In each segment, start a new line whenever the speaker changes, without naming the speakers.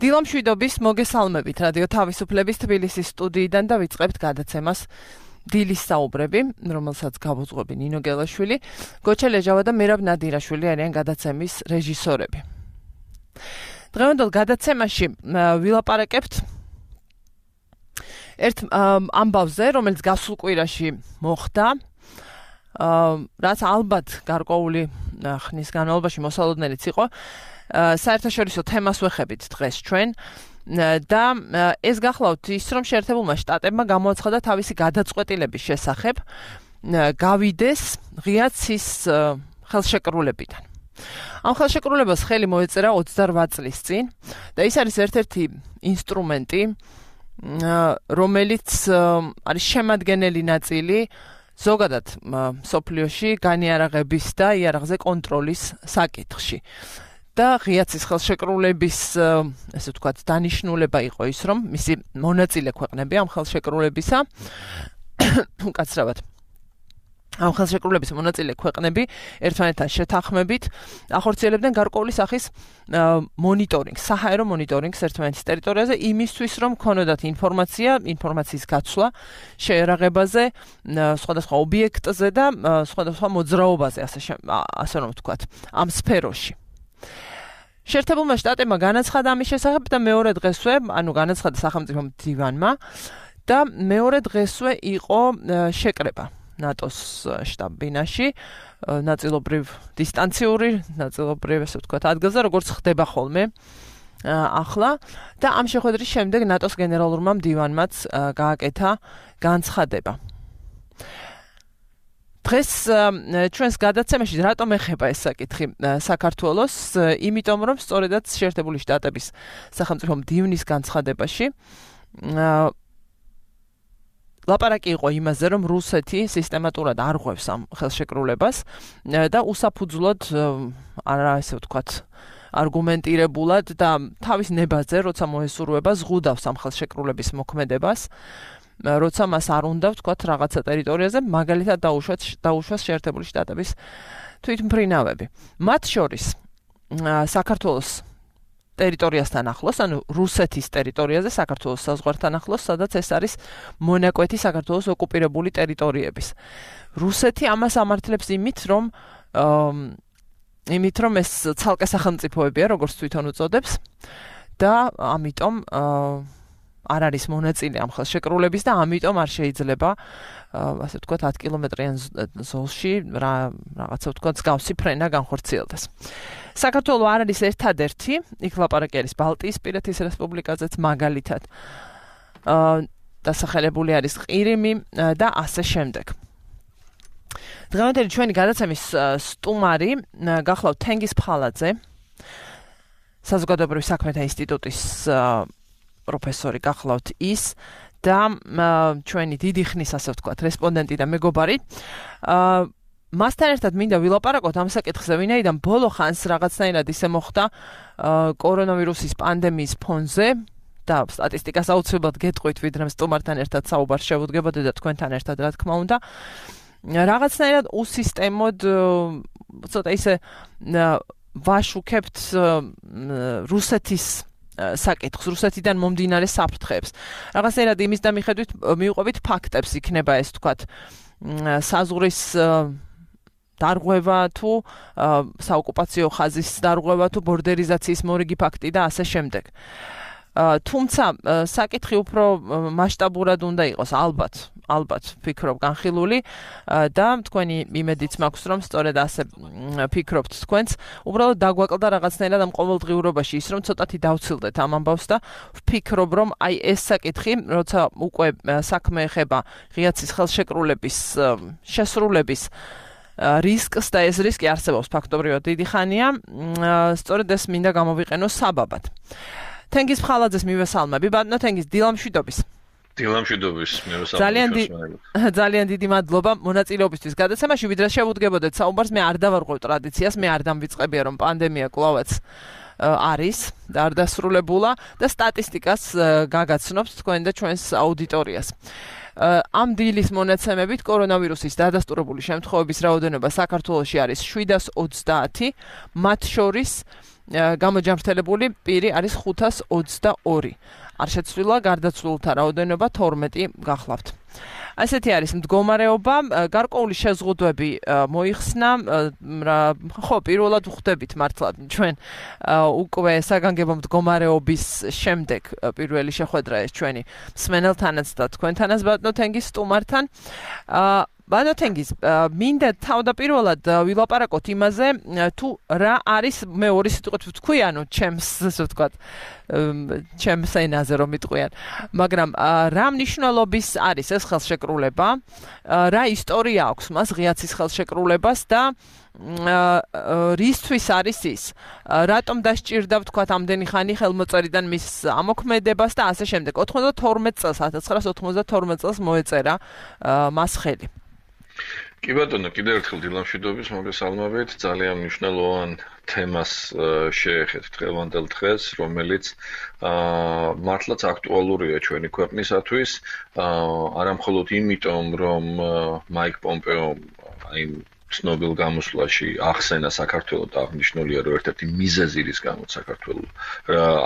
დილამშვიდობის მოგესალმებით რადიო თავისუფლების თბილისის სტუდიიდან და ვიწყებთ გადაცემას დილის საუბრები, რომელსაც გავუძღვები ნინო გელაშვილი, გოჩა ლეჟავა და მერაბ ნადირაშვილი არიან გადაცემის რეჟისორები. დღევანდელ გადაცემაში ვილაპარაკებთ ერთ ამბავზე, რომელიც გასულ კვირაში მოხდა, რაც ალბათ გარკვეული ხნის განმავლობაში მოსალოდნელიც იყო. საერთაშორისო თემას ვეხებით დღეს ჩვენ და ეს გახლავთ ის, რომ შეერთებულმა შტატებმა გამოაცხადა თავისი გადაწყვეტილების შესახებ გავიდეს ღია ცის ხელშეკრულებიდან. ამ ხელშეკრულებას ხელი მოეწერა 28 წლის წინ და ის არის ერთ-ერთი ინსტრუმენტი, რომელიც არის შემადგენელი ნაწილი ზოგადად მსოფლიოში განიარაღების და იარაღზე კონტროლის საკითხში. და ღიაცის ხელშეკრულების, ესე ვთქვათ, დანიშნულება იყო ის, რომ მისი მონაწილე ქვეყნები ამ ხელშეკრულებისა, უკაცრავად, ამ ხელშეკრულების მონაწილე ქვეყნები ერთმანეთთან შეთანხმებით ახორციელებდნენ გარკვეული სახის მონიტორინგს, საჰაერო მონიტორინგს ერთმანეთის ტერიტორიაზე, იმისთვის, რომ ქონოდათ ინფორმაციის გაცვლა შეერაღებაზე, სხვადასხვა ობიექტზე და სხვადასხვა მოძრაობაზე, ასე რომ ვთქვათ, ამ სფეროში. შეერთებულმა შტატებმა განაცხადა ამის შესახებ და მეორე დღესვე, განაცხადა სახელმწიფო მდივანმა და მეორე დღესვე იყო შეკრება ნატოს შტაბ-ბინაში, ნაწილობრივ დისტანციური, ნაწილობრივ, ასე ვთქვათ, ადგილზე, როგორც ხდება ხოლმე ახლა და ამ შეხვედრის შემდეგ ნატოს გენერალურმა მდივანმაც გააკეთა განცხადება. დღეს ჩვენს გადაცემაში რატომ ეხება ეს საკითხი საქართველოს, იმიტომ რომ სწორედაც შეერთებული შტატების სახელმწიფო მდივნის განცხადებაში ლაპარაკი იყო იმაზე, რომ რუსეთი სისტემატურად არღვევს ამ ხელშეკრულებას და უსაფუძვლოდ ასე ვთქვათ, არგუმენტირებულად და თავის ნებაზე, როცა მოესურვება, ზღუდავს ამ ხელშეკრულების მოქმედებას. როცა მას არ უნდა ვთქვათ რაღაცა ტერიტორიაზე, მაგალითად დაუშვას შეერთებული შტატების თვითმფრინავები. მათ შორის საქართველოს ტერიტორიასთან ახლოს, რუსეთის ტერიტორიაზე, საქართველოს საზღვართან ახლოს, სადაც ეს არის მონაკვეთი საქართველოს ოკუპირებული ტერიტორიების. რუსეთი ამას ამართლებს იმით, რომ ეს ცალკე სახელმწიფოებია, როგორც თვითონ უწოდებს და ამიტომ არ არის მონაწილე ამ ხელშეკრულების და ამიტომ არ შეიძლება, ასე ვთქვათ, 10 კილომეტრიან ზოლში რაღაცა ვთქვათ, მსგავსი ფრენა განხორციელდეს. საქართველო არ არის ერთადერთი, იქ ლაპარაკი არის ბალტიისპირეთის რესპუბლიკაზეც მაგალითად. დასახელებული არის ყირიმი და ასე შემდეგ. დღევანდელი ჩვენი გადაცემის სტუმარი გახლავთ თენგიზ ფხალაძე, საზოგადოებრივი საქმეთა ინსტიტუტის პროფესორი გახლავთ ის და ჩვენი დიდი ხნის, ასე ვთქვათ, რესპონდენტი და მეგობარი. მასთან ერთად მინდა ვილაპარაკოთ ამ საკითხზე, ვინაიდან ბოლო ხანს რაღაცნაირად ისე მოხდა კორონავირუსის პანდემიის ფონზე და სტატისტიკას აუცილებლად გეტყვით, ვიდრე სტუმართან ერთად საუბარს შევუდგებოდი და თქვენთან ერთად, რა თქმა უნდა. რაღაცნაირად უსისტემოდ, ცოტა ისე ვაშუქებთ რუსეთის საკითხს, რუსეთიდან მომდინარე საფრთხეებს. რაღაცნაირად იმის და მიხედვით მივყვებით ფაქტებს იქნება ეს, თქვათ, საზღვრის დარღვევა თუ საოკუპაციო ხაზის დარღვევა თუ ბორდერიზაციის მორიგი ფაქტი და ასე შემდეგ. თუმცა საკითხი უფრო მასშტაბურად უნდა იყოს, ალბათ ფიქრობ განხილული და თქვენი იმედიც მაქვს, რომ სწორედ ასე ფიქრობთ თქვენც. უბრალოდ დაგვაკლდა რაღაცნაირად ამ ყოველდღიურობაში ის, რომ ცოტათი დავცილდეთ ამ ამბავს და ვფიქრობ, რომ აი ეს საკითხი, როცა უკვე საქმე ეხება ღიაცის ხელშეკრულების შესრულების რისკს და ეს რისკი არსებობს ფაქტობრივად დიდი ხანია, სწორედ ეს მინდა გამოვიყენო საბაბად. თენგიზ ფხალაძეს მივესალმები, ბატონო თენგიზ, დილამშვიდობის.
დილამშვიდობის, მივესალმებით.
ძალიან დიდი მადლობა მონაწილეობისთვის გადაცემაში, ვიდრე შევუდგებოდეთ საუბარს, მე არ დავარღვევ ტრადიციას, მე არ დამვიწყებია, რომ პანდემია კლავაც არის და არ დასრულებულა და სტატისტიკას გაგაცნობთ თქვენ და ჩვენს აუდიტორიას. ამ დილის მონაცემებით კორონავირუსის დადასტურებული შემთხვევების რაოდენობა საქართველოში არის 730, მათ შორის გამოჯამრთელებული პირი არის 522. არ შეცვლილა გარდაცვლილთა რაოდენობა 12 გახლავთ. ასეთი არის მდგომარეობა, გარკვეული შეზღუდვები მოიხსნა, ხო, პირველად ვხვდებით მართლა ჩვენ უკვე საგანგებო მდგომარეობის შემდეგ პირველი შეხვედრა ეს ჩვენი მსმენელთანაც და თქვენთანაც ბატონო თენგის სტუმართან. ბატონო თენგის, მინდა თავდაპირველად ვილაპარაკოთ იმაზე, თუ რა არის მე ორი სიტყვით ვთქვი, ანუ ჩემს, ასე ვთქვათ, ჩემს ენაზე რომ მიტყვიან, მაგრამ რა მნიშვნელობის არის ეს ხელშეკრულება, რა ისტორია აქვს მას ღიაცის ხელშეკრულებას და რისთვის არის ის, რატომ დასჭირდა ვთქვათ ამდენი ხანი ხელმოწერიდან მის ამოქმედებას და ასე შემდეგ. 92 წელს 1992 წელს მოეწერა მას ხელი.
კი ბატონო, კიდევ ერთხელ დილამშვიდობის მოგესალმებით. ძალიან მნიშვნელოვან თემას შეეხეთ დღევანდელ დღეს, რომელიც მართლაც აქტუალურია ჩვენი ქვეყნისათვის, არა მხოლოდ იმიტომ, რომ მაიკ პომპეო აი ცნობილ გამოსვლაში ახსენა საქართველოს და აღნიშნულია, რომ ერთ-ერთი მიზეზი რის გამოც საქართველოს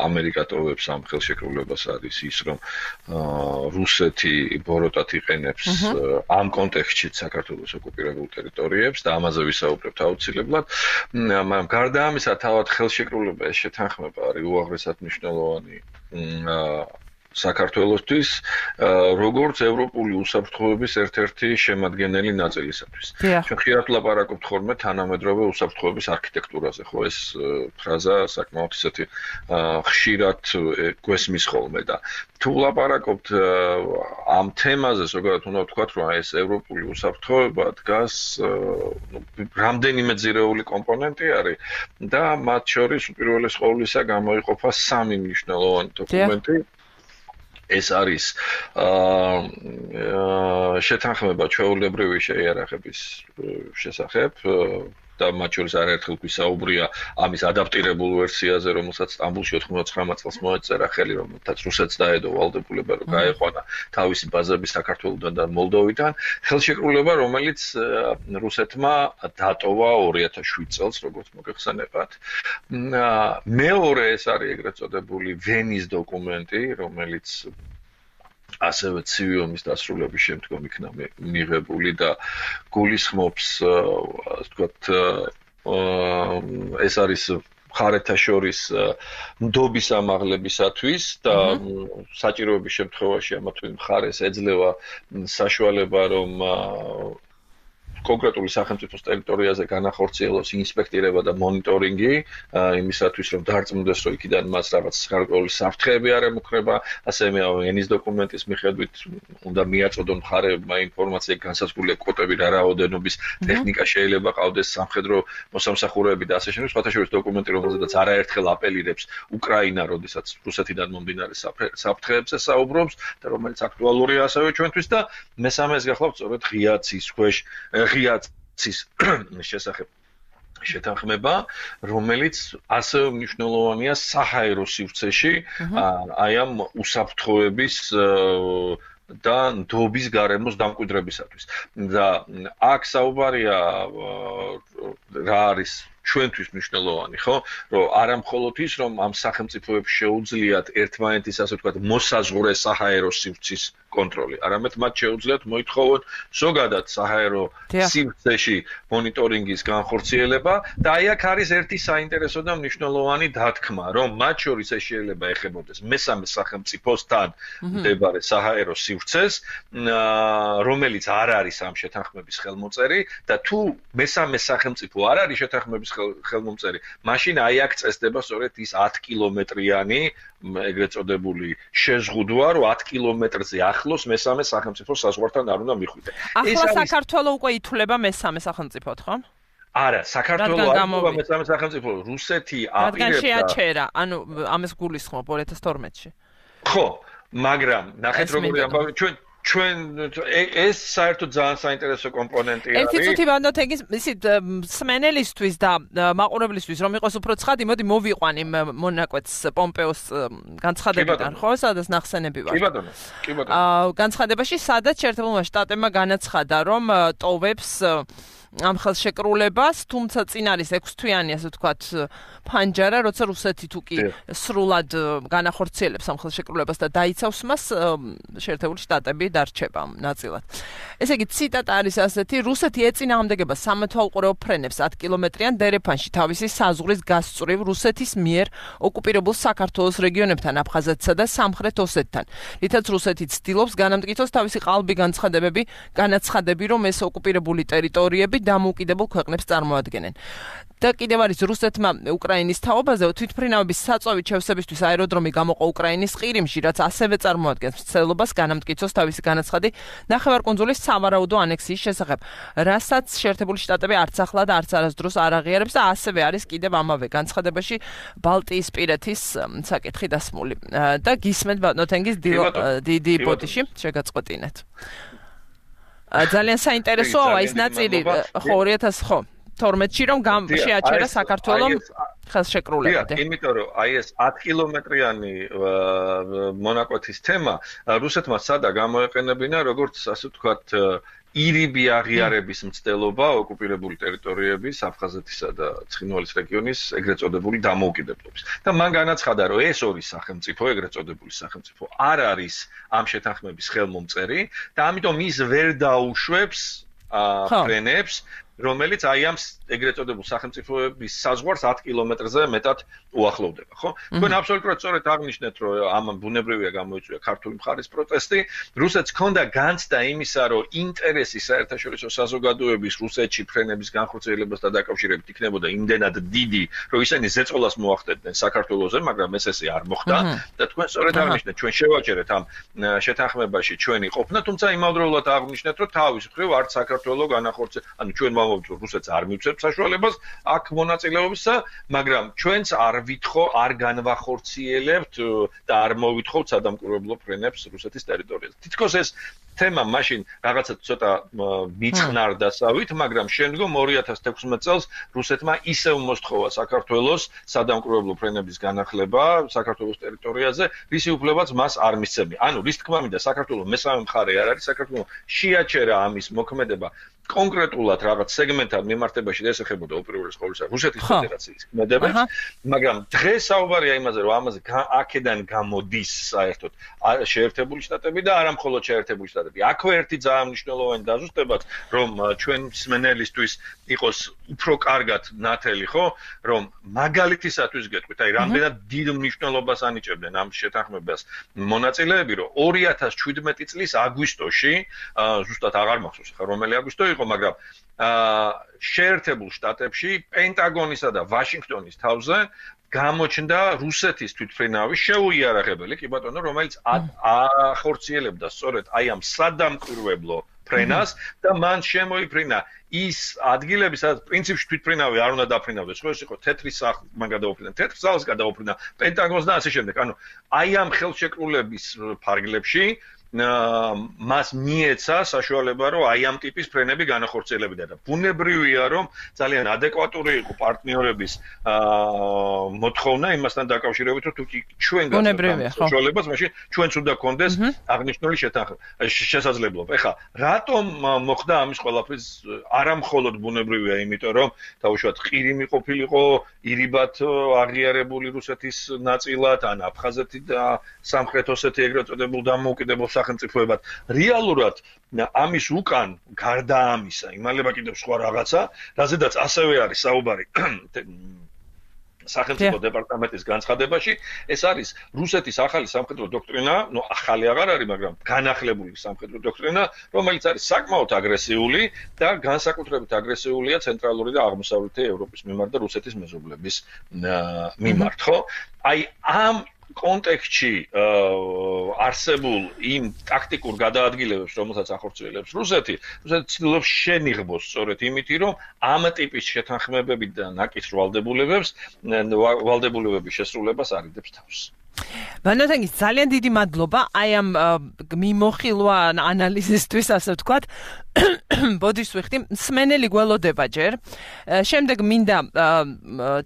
ამერიკა ტოვებს ამ ხელშეკრულებას არის ის, რომ რუსეთი ბოროტად იყენებს ამ კონტექსტში საქართველოს ოკუპირებულ ტერიტორიებს და ამაზე ვისაუბრებთ აუცილებლად. მაგრამ გარდა ამისა, თავად ხელშეკრულება ეს შეთანხმება არის უაღრესად მნიშვნელოვანი საქართველოსთვის, როგორც ევროპული უსაფრთხოების ერთ-ერთი შემადგენელი ნაწილისათვის. ჩვენ ხშირად ვლაპარაკობთ ხოლმე თანამედროვე უსაფრთხოების არქიტექტურაზე, ხო ეს ფრაზა საკმაოდ ისეთი ხშირად გვესმის ხოლმე და თუ ვლაპარაკობთ ამ თემაზე, ზოგადად უნდა ვთქვათ, რომ ეს ევროპული უსაფრთხოება დგას რამდენიმე ძირეული კომპონენტი არის და მათ შორის უპირველეს ყოვლისა გამოიყოფა სამი მნიშვნელოვანი დოკუმენტი. ეს არის შეთანხმება ჩვეულებრივი შეიარაღების შესახებ და მათ შორის არაერთხელ გვისაუბრია ამის ადაპტირებულ ვერსიაზე, რომელსაც სტამბულში 99 წელს მოეწერა ხელი, რომელთაც რუსეთს დაედო ვალდებულება, რომ გაეყვანა თავისი ბაზები საქართველოსთან და მოლდოვიდან. ხელშეკრულება, რომელიც რუსეთმა დატოვა 2007 წელს, როგორც მოგეხსენებათ. მეორე ეს არის ეგრეთ წოდებული ვენის დოკუმენტი, რომელიც ასევე ცივი ომის დასრულების შემდგომ იქნა მიღებული და გულისხმობს, ასე ვთქვათ, ეს არის მხარეთა შორის ნდობის ამაღლებისათვის და საჭიროების შემთხვევაში ამა თუ იმ მხარეს ეძლევა საშუალება, რომ კონკრეტული სახელმწიფოს ტერიტორიაზე განახორციელოს ინსპექტირება და მონიტორინგი იმისათვის, რომ დარწმუნდეს, რომ იქიდან მას რაღაც გარკვეული საფრთხეები არ ემუქრება, ასევე ენის დოკუმენტის მიხედვით უნდა მიაწოდონ მხარეებმა ინფორმაცია განსაზღვრული კვოტები რა რაოდენობის ტექნიკა შეიძლება ყავდეს სამხედრო მოსამსახურეები და ასე შემდეგ. სხვათა შორის დოკუმენტი, რომელზედაც არაერთხელ აპელირებს უკრაინა, როდესაც რუსეთიდან მომდინარე საფრთხეებზე საუბრობს და რომელიც აქტუალურია ასევე ჩვენთვის და მესამე ეს გახლავთ სწორედ ღიაცის ქვეშ ღიაცის შესახებ შეთანხმება, რომელიც ასევე მნიშვნელოვანია საჰაერო სივრცეში, აი ამ უსაფრთხოების და ნდობის გარემოს დამკვიდრებისათვის. და აქ საუბარია რა არის ჩვენთვის მნიშვნელოვანი, ხო? რომ არა მხოლოდ ის, რომ ამ სახელმწიფოებს შეუძლიათ ერთმანეთის, ასე ვთქვათ, მოსაზღვრე საჰაერო სივრცის კონტროლი, არამედ მათ შეუძლიათ მოითხოვონ ზოგადად საჰაერო სივრცეში მონიტორინგის განხორციელება და აი აქ არის ერთი საინტერესო და მნიშვნელოვანი დათქმა, რომ მათ შორის ეს შეიძლება ეხებოდეს მესამე სახელმწიფოსთან მდებარე საჰაერო სივრცეს, რომელიც არ არის ამ შეთანხმების ხელმოწერი და თუ მესამე სახელმწიფო არ არის შეთანხმების ხელმომწერი, მაშინ აი აქ წესდება სწორედ ის 10 კილომეტრიანი ეგრეთ წოდებული შეზღუდვა, რომ 10 კილომეტრზე ახლოს მესამე სახელმწიფო საზღვართან არ უნდა მიხვიდე.
ახლა საქართველოს უკვე ითვლება მესამე სახელმწიფოდ, ხო?
არა, საქართველოს არ ითვლება მესამე სახელმწიფო, რუსეთი აპირებდა.
რადგან შეაჩერა, ანუ ამას გულისხმობ 2012-ში.
ხო, მაგრამ ნახეთ როგორი ამბავი, ჩვენ ეს საერთოდ ძალიან საინტერესო კომპონენტი არის.
ერთი წუთი ვანდოთეგის ისეთ სმენელისთვის და მაყურებლისთვის რომ იყოს უფრო ცხადი, მოდი მოვიყვან იმ მონაკვეთს პომპეოს განცხადებიდან, ხო, სადაც ნახსენები ვარ.
კი ბატონო.
განცხადებაში სადაც შეერთებულმა შტატებმა განაცხადა, რომ ტოვებს ამ ხელშეკრულებას, თუმცა წინ არის 6 თვიანი, ასე ვთქვათ, ფანჯარა, როცა რუსეთი თუ კი სრულად განახორციელებს ამ ხელშეკრულებას და დაიცავს მას, შეერთებული შტატები დარჩება ნაწილად. ესე იგი, ციტატა არის ასეთი: რუსეთი ეწინააღმდეგება სამეთვალყურეო ფრენებს 10 კილომეტრიან დერეფანში თავისი საზღვრის გასწვრივ რუსეთის მიერ ოკუპირებულ საქართველოს რეგიონებთან, აფხაზეთსა და სამხრეთ ოსეთთან. რითაც რუსეთი ცდილობს განამტკიცოს თავისი ყალბი განაცხადები, რომ ეს ოკუპირებული ტერიტორიები დამოუკიდებელ ქვეყნებს წარმოადგენენ. და კიდევ არის რუსეთმა უკრაინის თაობაზე თვითმფრინავების საწვავით შევსებისთვის აეროდრომი გამოყო უკრაინის ყირიმში, რაც ასევე წარმოადგენს მცდელობას განამტკიცოს თავისი განაცხადი ნახევარკუნძულის სავარაუდო ანექსიის შესახებ, რასაც შეერთებული შტატები არც ახლა და არც არასდროს არ აღიარებს და ასევე არის კიდევ ამავე განცხადებაში ბალტიისპირეთის საკითხი დასმული. და გისმენთ ბატონთენგის დიდი პოტიში შეგაწყვეტინეთ. ძალიან საინტერესოა ის ნაწილი, ხო 2012-ში რომ შეაჩერა საქართველოს ხელშეკრულება.
იმიტომ რომ აი ეს 10 კილომეტრიანი მონაკვეთის თემა რუსეთმა სადა გამოეყენებინა, როგორც ასე ვთქვათ, ირიბი აღიარების მცდელობა ოკუპირებული ტერიტორიების აფხაზეთისა და ცხინვალის რეგიონის ეგრეთ წოდებული დამოუკიდებლობის. და მან განაცხადა, რომ ეს ორი სახელმწიფო, ეგრეთ წოდებული სახელმწიფო, არ არის ამ შეთანხმების ხელმომწერი და ამიტომ ის ვერ დაუშვებს ფრენებს, რომელიც აი ამ ეგრეთ წოდებულ სახელმწიფოების საზღვარს 10 კილომეტრზე მეტად უახლოვდება, ხო? თქვენ აბსოლუტურად სწორედ აღნიშნეთ, რომ ამ ბუნებრივია გამოიწვია ქართული მხარის პროტესტი. რუსეთს ჰქონდა განცდა იმისა, რომ ინტერესი საერთაშორისო საზოგადოების რუსეთში ფრენების განხორციელებასთან დაკავშირებით იქნებოდა იმდენად დიდი, რომ ისინი ზეწოლას მოახდენდნენ საქართველოზე, მაგრამ ეს არ მოხდა და თქვენ სწორედ აღნიშნეთ, ჩვენ შევაჩერეთ ამ შეთანხმებაში ჩვენი ყოფნა, თუმცა იმავდროულად აღნიშნეთ, რომ თავის მხრივ არც საქართველოს განახორციელებს, ანუ ჩვენ რუსეთს არ მივცემს საშუალებას აქ მონაწილეობისა, მაგრამ ჩვენც არ განვახორციელებთ და არ მოვითხოვთ სადამკვირვებლო ფრენებს რუსეთის ტერიტორიაზე. თითქოს ეს თემა მაშინ რაღაცა ცოტა მიწყნარდასავით, მაგრამ შემდგომ 2016 წელს რუსეთმა ისევ მოსთხოვა საქართველოს სადამკვირვებლო ფრენების განახლება საქართველოს ტერიტორიაზე, რისი უფლებაც მას არ მისცემია. ანუ რის თქმა მინდა, საქართველოს მესამე მხარე არ არის, საქართველოს შეაჩერა ამის მოქმედება კონკრეტულად რაღაც სეგმენტთან მიმართებაში ესახებოდა უპირველეს ყოვლისა რუსეთის ფედერაციის ქმედებას, მაგრამ დღეს საუბარია იმაზე, რომ ამაზე აქედან გამოდის საერთოდ შეერთებული შტატები და არა მხოლოდ შეერთებული შტატები. აქვე ერთი ძალიან მნიშვნელოვანი დაზუსტებაც, რომ ჩვენ მსმენელისთვის იყოს უფრო კარგად ნათელი, ხო, რომ მაგალითისათვის გეტყვით, აი რამდენად დიდ მნიშვნელობას ანიჭებდნენ ამ შეთანხმებას მონაწილეები, რომ 2017 წლის აგვისტოში, ზუსტად აღარ მახსოვს ხა რომელი აგვისტო იყო, მაგრამ შეერთებულ შტატებში პენტაგონისა და ვაშინგტონის თავზე გამოჩნდა რუსეთის თვითმფრინავის შეუიარაღებელი, კი ბატონო, რომელიც ახორციელებდა სწორედ აი ამ სადამკვირვებლო ფრენას და მან შემოიფრინა ის ადგილები, სადაც პრინციპში თვითმფრინავი არ უნდა დაფრინავდეს, ხო ეს იყო თეთრი სახლი, მან გადაუფრინა თეთრ სახლს, გადაუფრინა პენტაგონს და ასე შემდეგ. ანუ აი ამ ხელშეკრულების ფარგლებში მას მიეცა საშუალება, რომ აი ამ ტიპის ფრენები განახორციელებინა და ბუნებრივია, რომ ძალიან ადეკვატური იყო პარტნიორების მოთხოვნა იმასთან დაკავშირებით, რომ თუ კი ჩვენ
ბუნებრივია, ხო.
საშუალებას, მაშინ ჩვენც უნდა გქონდეს აღნიშნული შესაძლებლობა. ეხლა რატომ მოხდა ამის ყველაფრის არა მხოლოდ ბუნებრივია, იმიტომ რომ თავშუათ ყირიმი ყოფილიყო ირიბად აღიარებული რუსეთის ნაწილად, ან აფხაზეთი და სამხრეთ ოსეთი ეგრეთ წოდებულ დამოუკიდებელ სახელმწიფოებად. რეალურად ამის უკან გარდა ამისა, იმალება კიდევ სხვა რაღაცა, რაზედაც ასევე არის საუბარი სახელმწიფო დეპარტამენტის განცხადებაში, ეს არის რუსეთის ახალი სამხედრო დოქტრინა, ნუ ახალი აღარ არის, მაგრამ განახლებული სამხედრო დოქტრინა, რომელიც არის საკმაოდ აგრესიული და განსაკუთრებით აგრესიულია ცენტრალური და აღმოსავლეთი ევროპის მიმართ და რუსეთის მეზობლების მიმართ, ხო? აი ამ კონტექსტში არსებულ იმ ტაქტიკურ გადაადგილებებს, რომელსაც ახორციელებს რუსეთი ცდილობს შენიღბოს სწორედ იმით, რომ ამ ტიპის შეთანხმებები და ნაკის ვალდებულებების შესრულებას არიდებს თავს.
Ბანოთენგის ძალიან დიდი მადლობა აი ამ მიმოხილვა ანალიზისთვის ასე ვთქვათ. ბოდიშს ვიხდი, მსმენელი გველოდება ჯერ. შემდეგ მინდა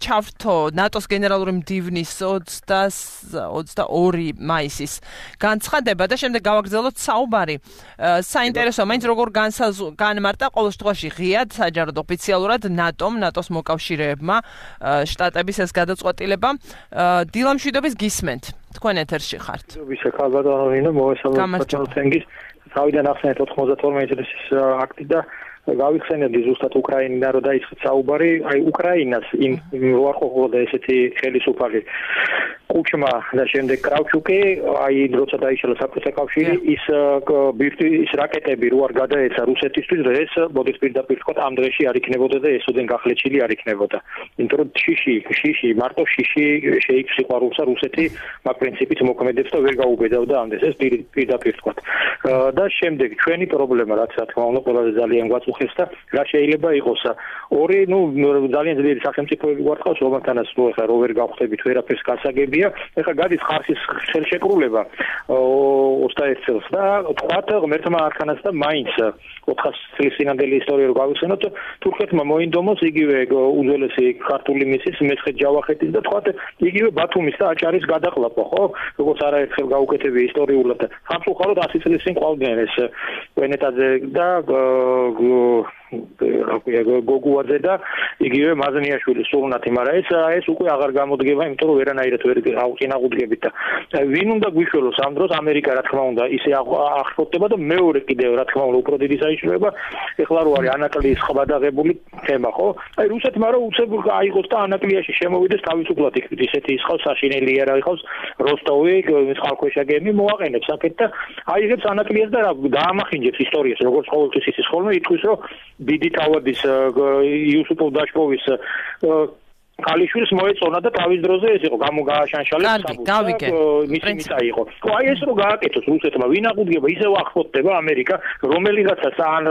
ჩავრთო ნატოს გენერალური მდივნის 22 მაისის განცხადება და შემდეგ გავაგრძელოთ საუბარი. საინტერესო მაინც როგორ განმარტა ყოველ შემთხვევაში ღიად საჯაროდ ოფიციალურად ნატოს მოკავშირეებმა შტატების ეს გადაწყვეტილება. დილა მშვიდობის გისმენთ. თქვენ ეთერში ხართ.
თავიდან ახსენეთ 92 წელს აქტი და გავიხსენებდი ზუსტად უკრაინიდან რომ დაიწყეთ საუბარი, აი უკრაინას იმ უარყოფოდა ესეთი ხელისუფალი კუჩმა და შემდეგ კრავჩუკი, აი როცა დაიშალა საბჭოთა კავშირი, ის რაკეტები რო არ გადაეცა რუსეთისთვის, ეს მოდის პირდაპირ თქვა ამ დღეში არ იქნებოდა და ესოდენ გახლეჩილი არ იქნებოდა. იმიტომ რომ შიში მარტო შიში შეიქს სიყვარულსა რუსეთი მაგ პრინციპით მოქმედებს და ვერ გაუბედავდა ამდენს, ეს პირდაპირ თქვა. და შემდეგ ჩვენი პრობლემა რაც რა თქმა უნდა ყველაზე ძალიან გვაწუხებს და რა შეიძლება იყოს ორი ძალიან ძლიერი სახელმწიფოები გვარყავს რომელთანაც ახლა რო ვერ გავხდებით ვერაფერს გასაგებია ეხლა გადის ხარსის ხელშეკრულება 21 წელს და თქვათ ღმერთმა არქანაც და მაინც 400 წლის წინანდელი ისტორია რო გავიხსენოთ თურქეთმა მოინდომოს იგივე უძველესი ქართული მისის მეცხეთ ჯავახეთის და თქვათ იგივე ბათუმის და აჭარის გადაყლაპვა ხო როგორც არაერთხელ გაუკეთებია ისტორიულად და სამწუხაროდ 100 წლის წინ ყავდნენ ეს ვენეტაძე და გოგუაძე და იგივე მაზნიაშვილი სულნათი, მაგრამ ეს უკვე აღარ გამოდგება, იმიტომ რომ ვერანაირად ვერ აღწინააღმდეგებით და ვინ უნდა გვიშველოს ამ დროს ამერიკა რა თქმა უნდა ისე აღშფოთდება და მეორე კიდევ რა თქმა უნდა უფრო დიდი საიშროება ეხლა რო არის ანაკლიის ხბადაღებული თემა ხო? აი რუსეთმა რომ უცებ აიღოს და ანაკლიაში შემოვიდეს თავისუფლად იქით ისეთი ისხავს საშინელი არა იყავს როსტოვი წყალქვეშა გემი მოაყენებს აქეთ და აიღებს ანაკლიას და რა დაამახინჯებს ისტორიას როგორც ყოველთვის ისის ხოლმე ითქვის რომ დიდი თავადის იუსუპ დაშკოვის კალიშვილს მოეწონა და თავის დროზე ეს იყო გამოგაშანშალებს მისი მიწა იყო. აი ეს რო გააკეთოს რუსეთმა ვინ აღუდგება ისევ აღფოთდება ამერიკა რომელიღაცას ან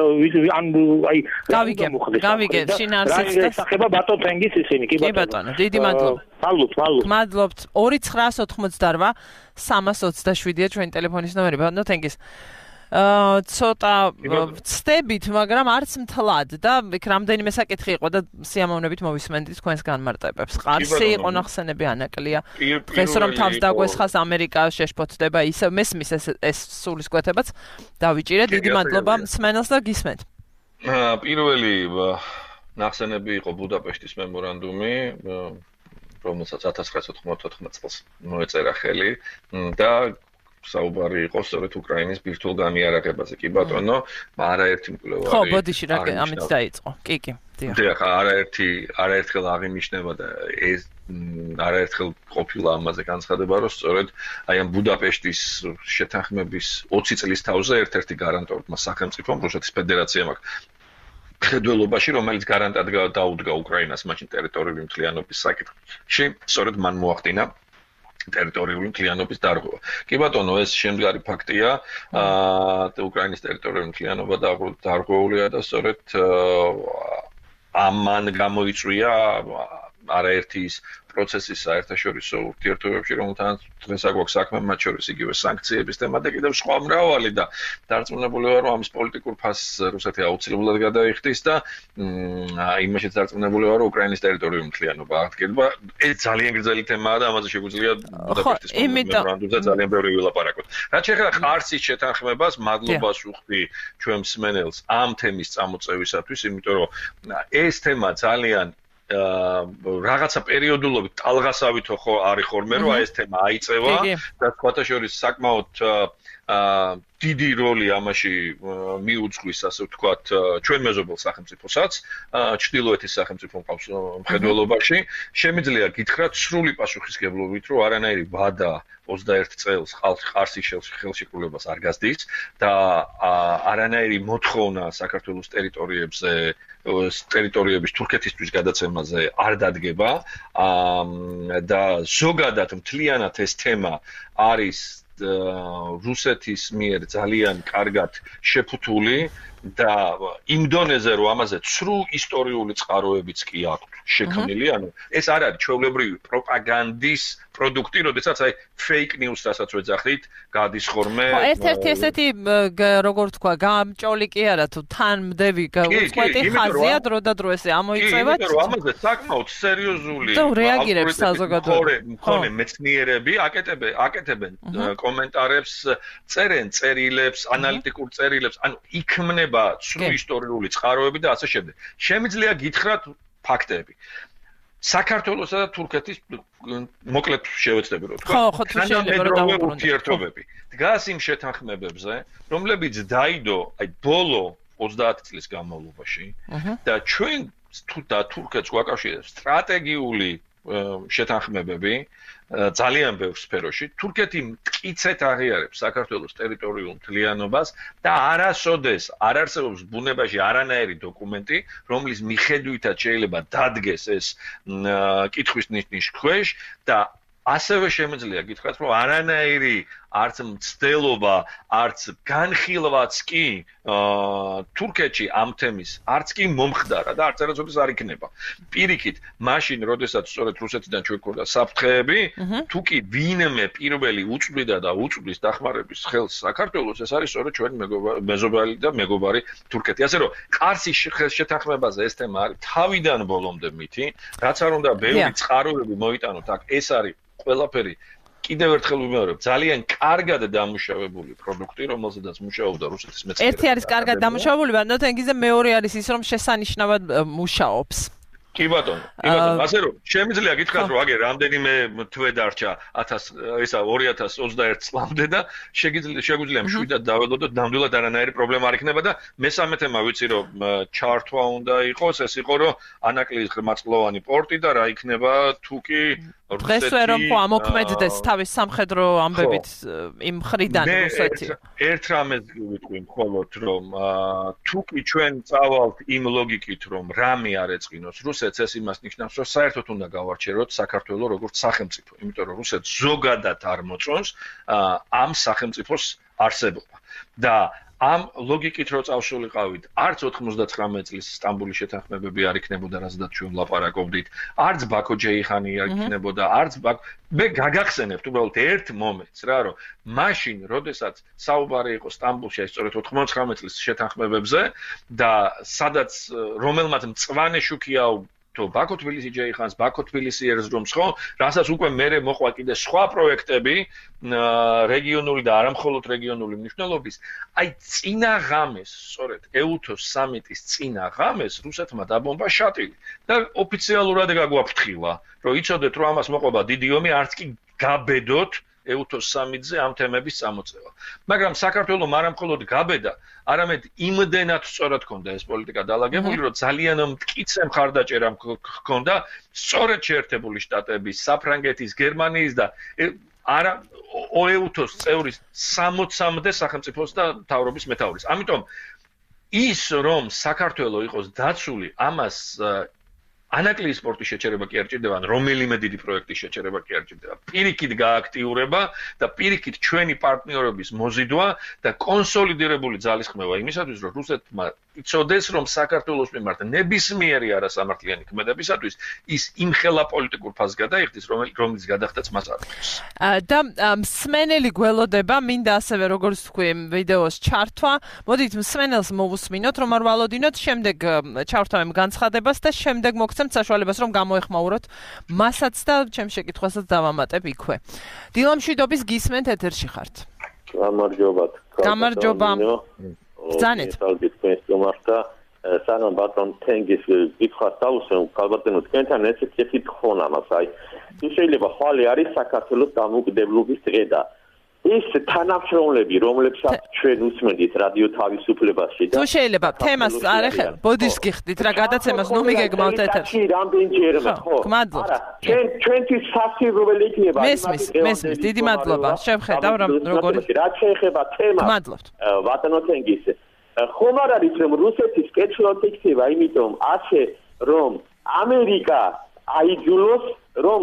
აი
გავიგე შინაარსიც და
სახება ბატონთენგის ისინი კი
ბატონო დიდი მადლობა მადლობთ 2988 327-ია ჩვენი ტელეფონის ნომერი ბატონთენგის ცოტა ვწდებით, მაგრამ არც მთლად და იქ რამდენიმე საკითხი იყო და სიამოვნებით მოვისმენთ თქვენს განმარტებებს. ყარსი იყო ნახსენები ანაკლია. დღეს რომ თავს დაგვესხას ამერიკა შეშფოთდება ისე მესმის ეს სულისკვეთებაც დავიჭირე. დიდი მადლობა მსმენელს და გისმენთ.
პირველი ნახსენები იყო ბუდაპეშტის მემორანდუმი, რომელსაც 1994 წელს მოეწერა ხელი და საუბარი იყო სწორედ უკრაინის ბირთვულ განიარაღებაზე. კი ბატონო, არაერთი მკვლევარი.
ხო, ბოდიში რა ამით დაიწყო. კი.
დიახ, არაერთხელ აღინიშნება და ეს არაერთხელ ყოფილა ამაზე განცხადება, რომ სწორედ აი ამ ბუდაპეშტის შეთანხმების 20 წლის თავზე ერთ-ერთი გარანტორმა სახელმწიფომ რუსეთის ფედერაციამ აქვს ხედველობაში, რომელიც გარანტად დაუდგა უკრაინას მაშინ ტერიტორიული მთლიანობის საკითხში, სწორედ მან მოახდინა ტერიტორიული მთლიანობის დარღვევა. კი ბატონო, ეს შემდგარი ფაქტია, უკრაინის ტერიტორიული მთლიანობა დარღვეულია და სწორედ ამან გამოიწვია არაერთი ის პროცესის საერთაშორისო ურთიერთობებში, რომელთანაც დღეს აგვაქვს საქმე, მათ შორის იგივე სანქციების თემა და კიდევ სხვა მრავალი და დარწმუნებული ვარ, რომ ამის პოლიტიკურ ფასს რუსეთი აუცილებლად გადაიხდის და იმაშიც დარწმუნებული ვარ, რომ უკრაინის ტერიტორიული მთლიანობა აღდგება. ეს ძალიან გრძელი თემაა და ამაზე შეგვიძლია ბუდაპეშტის მემორანდუმზე ძალიან ბევრი ვილაპარაკოთ. რაც შეეხება ყარსის შეთანხმებას, მადლობას ვუხდი ჩვენ მსმენელს ამ თემის წამოწევისათვის, იმიტომ რომ ეს თემა ძალიან რაღაცა პერიოდულობით ტალღასავითო ხო არის ხოლმე რომ აი ეს თემა აიწევა და სხვათა შორის საკმაოდ დიდი როლი ამაში მიუძღვის ასე ვთქვათ ჩვენ მეზობელ სახელმწიფოსაც ჩრდილოეთის სახელმწიფო მხედველობაში შემიძლია გითხრათ სრული პასუხისგებლობით რომ არანაირი ვადა 21 წელს ყარსის ხელშეკრულებას არ გასდის და არანაირი მოთხოვნა საქართველოს ტერიტორიების თურქეთისთვის გადაცემაზე არ დადგება და ზოგადად მთლიანად ეს თემა არის რუსეთის მიერ ძალიან კარგად შეფუთული და იმ დონეზე რომ ამაზე ცრუ ისტორიული წყაროებიც კი აქვს შექმნილი, ანუ ეს არ არის ჩვეულებრივი პროპაგანდის პროდუქტი, როდესაც აი fake news-ასაც ვეძახით, გადის ხოლმე.
ერთ-ერთი ესეთი როგორ თქვა, გამჭოლი კი არა თუ თანმდევი უწყვეტი ხაზია დრო და დრო ესე ამოიწევათ.
იმიტომ რომ ამაზე საკმაოდ სერიოზული
რეაგირებს საზოგადოება.
მქონე მეცნიერები აკეთებენ კომენტარებს, წერენ წერილებს, ანალიტიკურ წერილებს, ანუ იქმნება ცრუ ისტორიული წყაროები და ასე შემდეგ. შემიძლია გითხრათ ფაქტები. საქართველოსა და თურქეთის მოკლედ შევეცდები რომ თქვა.
ხო, თუ შეიძლება რომ დავუბრუნდეთ.
ურთიერთობები. დგას იმ შეთანხმებებზე, რომლებიც დაიდო აი ბოლო 30 წლის განმავლობაში და ჩვენ თურქეთს გვაკავშირებს სტრატეგიული შეთანხმებები ძალიან ბევრ სფეროში. თურქეთი მტკიცედ აღიარებს საქართველოს ტერიტორიულ მთლიანობას და არასოდეს არ არსებობს ბუნებაში არანაირი დოკუმენტი, რომლის მიხედვითაც შეიძლება დადგეს ეს კითხვის ნიშნის ქვეშ და ასევე შემიძლია გითხრათ, რომ არანაირი არც მცდელობა, არც განხილვაც კი თურქეთში ამ თემის არც კი მომხდარა და არც არასოდეს არ იქნება. პირიქით, მაშინ, როდესაც სწორედ რუსეთიდან ჩვენ გვქონდა საფრთხეები, თუ კი ვინმე პირველი უწვდიდა და უწვდის დახმარების ხელს საქართველოს, ეს არის სწორედ ჩვენი მეზობელი და მეგობარი თურქეთი. ასე რომ, ყარსის შეთანხმებაზე ეს თემა არის თავიდან ბოლომდე მითი, რაც არ უნდა ბევრი წყაროები მოიტანოთ აქ, ეს არის ყველაფერი კიდევ ერთხელ ვიმეორებ, ძალიან კარგად დამუშავებული პროდუქტი, რომელზედაც მუშაობდა რუსეთის მეცნიერები.
ერთი არის კარგად დამუშავებული, მაგრამ თენგიზე მეორე არის ის, რომ შესანიშნავად მუშაობს.
კი ბატონო, ასე რომ შემიძლია გითხრათ, რომ აგერ რამდენიმე თვე დარჩა 2021 წლამდე და შეგვიძლია მშვიდად დაველოდოთ, ნამდვილად არანაირი პრობლემა არ იქნება და მესამე თემა ვიცი რომ ჩართვა უნდა იყოს, ეს იყო რომ ანაკლიის ღრმაწყლოვანი პორტი და რა იქნება თუ კი
დღესვე რომ ამოქმედდეს თავის სამხედრო ამბებით იმ მხრიდან რუსეთი.
ერთ რამეს ვიტყვი მხოლოდ რომ თუ კი ჩვენ წავალთ იმ ლოგიკით რომ რამე არ ეწყინოს რუსეთს, ეს იმას ნიშნავს რომ საერთოდ უნდა გავარჩიოთ საქართველოს როგორც სახელმწიფო, იმიტომ რომ რუსეთს ზოგადად არ მოწონს ამ სახელმწიფოს არსებობა და ამ ლოგიკით რო წავშულიყავით, არც 99 წლის სტამბოლის შეთანხმებები არ იქნებოდა, რაზედაც ჩვენ ვლაპარაკობდით, არც ბაქო-ჯეიხანი არ იქნებოდა, არც მე გაგახსენებთ უბრალოდ ერთ მომენტს რა, რომ მაშინ, როდესაც საუბარი იყო სტამბოლში, სწორედ 99 წლის შეთანხმებებზე და სადაც რომელმაც მწვანე შუქია თუ ბაქო-თბილისი-ჯეიხანს, ბაქო-თბილისი-ერზრუმს ხო, რასაც უკვე მერე მოყვა კიდე სხვა პროექტები, რეგიონული და არამხოლოდ რეგიონული მნიშვნელობის, აი წინა ღამეს, სწორედ ეუთოს სამიტის წინა ღამეს რუსეთმა დაბომბა შატილი და ოფიციალურად გაგვაფრთხილა, რომ იცოდეთ, რომ ამას მოყვება დიდი ომი, არც კი გაბედოთ ეუთოს სამიტზე ამ თემების წამოწევა. მაგრამ საქართველოს არამხოლოდ გაბედა, არამედ იმდენად სწორად ჰქონდა ეს პოლიტიკა დალაგებული, რომ ძალიან მტკიცე მხარდაჭერა ჰქონდა სწორედ შეერთებული შტატების, საფრანგეთის, გერმანიის და არა ოეუთოს წევრის 60-მდე სახელმწიფოს და მთავრობის მეთაურის. ამიტომ ის რომ საქართველოს იყოს დაცული, ამას ანაკლიის სპორტის შეჩერება კი არ ჭირდება, ან რომელიმე დიდი პროექტის შეჩერება კი არ ჭირდება. პირიქით გააქტიურება და პირიქით ჩვენი პარტნიორების მოზიდვა და კონსოლიდირებული ძალისხმევა იმისათვის, რომ რუსეთმა იცოდეს, რომ საქართველოს მიმართ ნებისმიერი არასამართლიანი ქმედებისათვის ის იმხელა პოლიტიკურ ფასს გადაიხდის, რომელიც გადახდაც მას არ აქვს.
და მსმენელი გველოდება, მინდა ასევე როგორც თქვი ვიდეოს ჩართვა. მოდით მსმენელს მოვუსმინოთ, რომ არ ვალოდინოთ, შემდეგ ჩავრთავებ განცხადებას და შემდეგ მოგცემთ საშუალებას, რომ გამოეხმაუროთ მასაც და ჩემს შეკითხვასაც დავამატებ იქვე. დილა მშვიდობის გისმენთ ეთერში ხართ.
გამარჯობათ.
გამარჯობა. ბრძანეთ.
სანამ ბატონ თენგის კითხვას დავუსვენ, ალბათნო თქვენთან ესეთი თხოვნა მაქვს, აი შეიძლება ხვალე არის საქართველოს დამოუკიდებლობის დღე და ის თანამშრომლები, რომლებსაც ჩვენ უსმენთ რადიო თავისუფლებაში და
თუ შეიძლება თემას არ ეხება, ბოდიშს გიხდით რა გადაცემას ნუ მიგეგმავთ ეთერში.
რამდენჯერმე ხო?
გმადლობთ.
ჩვენთვის სასიყვარული იქნება.
მესმის, დიდი მადლობა. შევხედავ როგორი.
რაც შეეხება თემას.
გმადლობთ.
ბატონო თენგის ხომ არ არის რომ რუსეთის კეთილად იქნება, იმიტომ ასე რომ ამერიკა აიძულოს რომ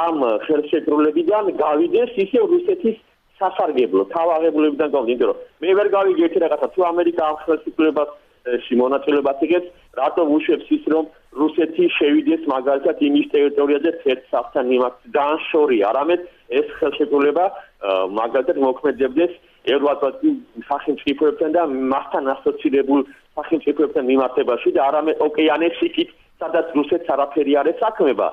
ამ ხელშეკრულებიდან გავიდეს ისე რუსეთის სასარგებლო თავაღებულებიდან გავდი, იმიტომ რომ მე ვერ გავიგე ერთი რაღაცა, თუ ამერიკა ამ ხელისუფლებაში მონაწილეობას იღებს, რატომ უშვებს ის, რომ რუსეთი შევიდეს მაგალითად იმის ტერიტორიაზე თეთრსაფთან მიმართ დაანშორი, არამედ ეს ხელშეკრულება მაგალითად მოქმედებდეს ევროატლანტის სახელმწიფოებთან და მასთან ასოცირებულ სახელმწიფოებთან მიმართებაში და არამედ ოკეანეს იქით, სადაც რუსეთს არაფერი არ ესაქმება,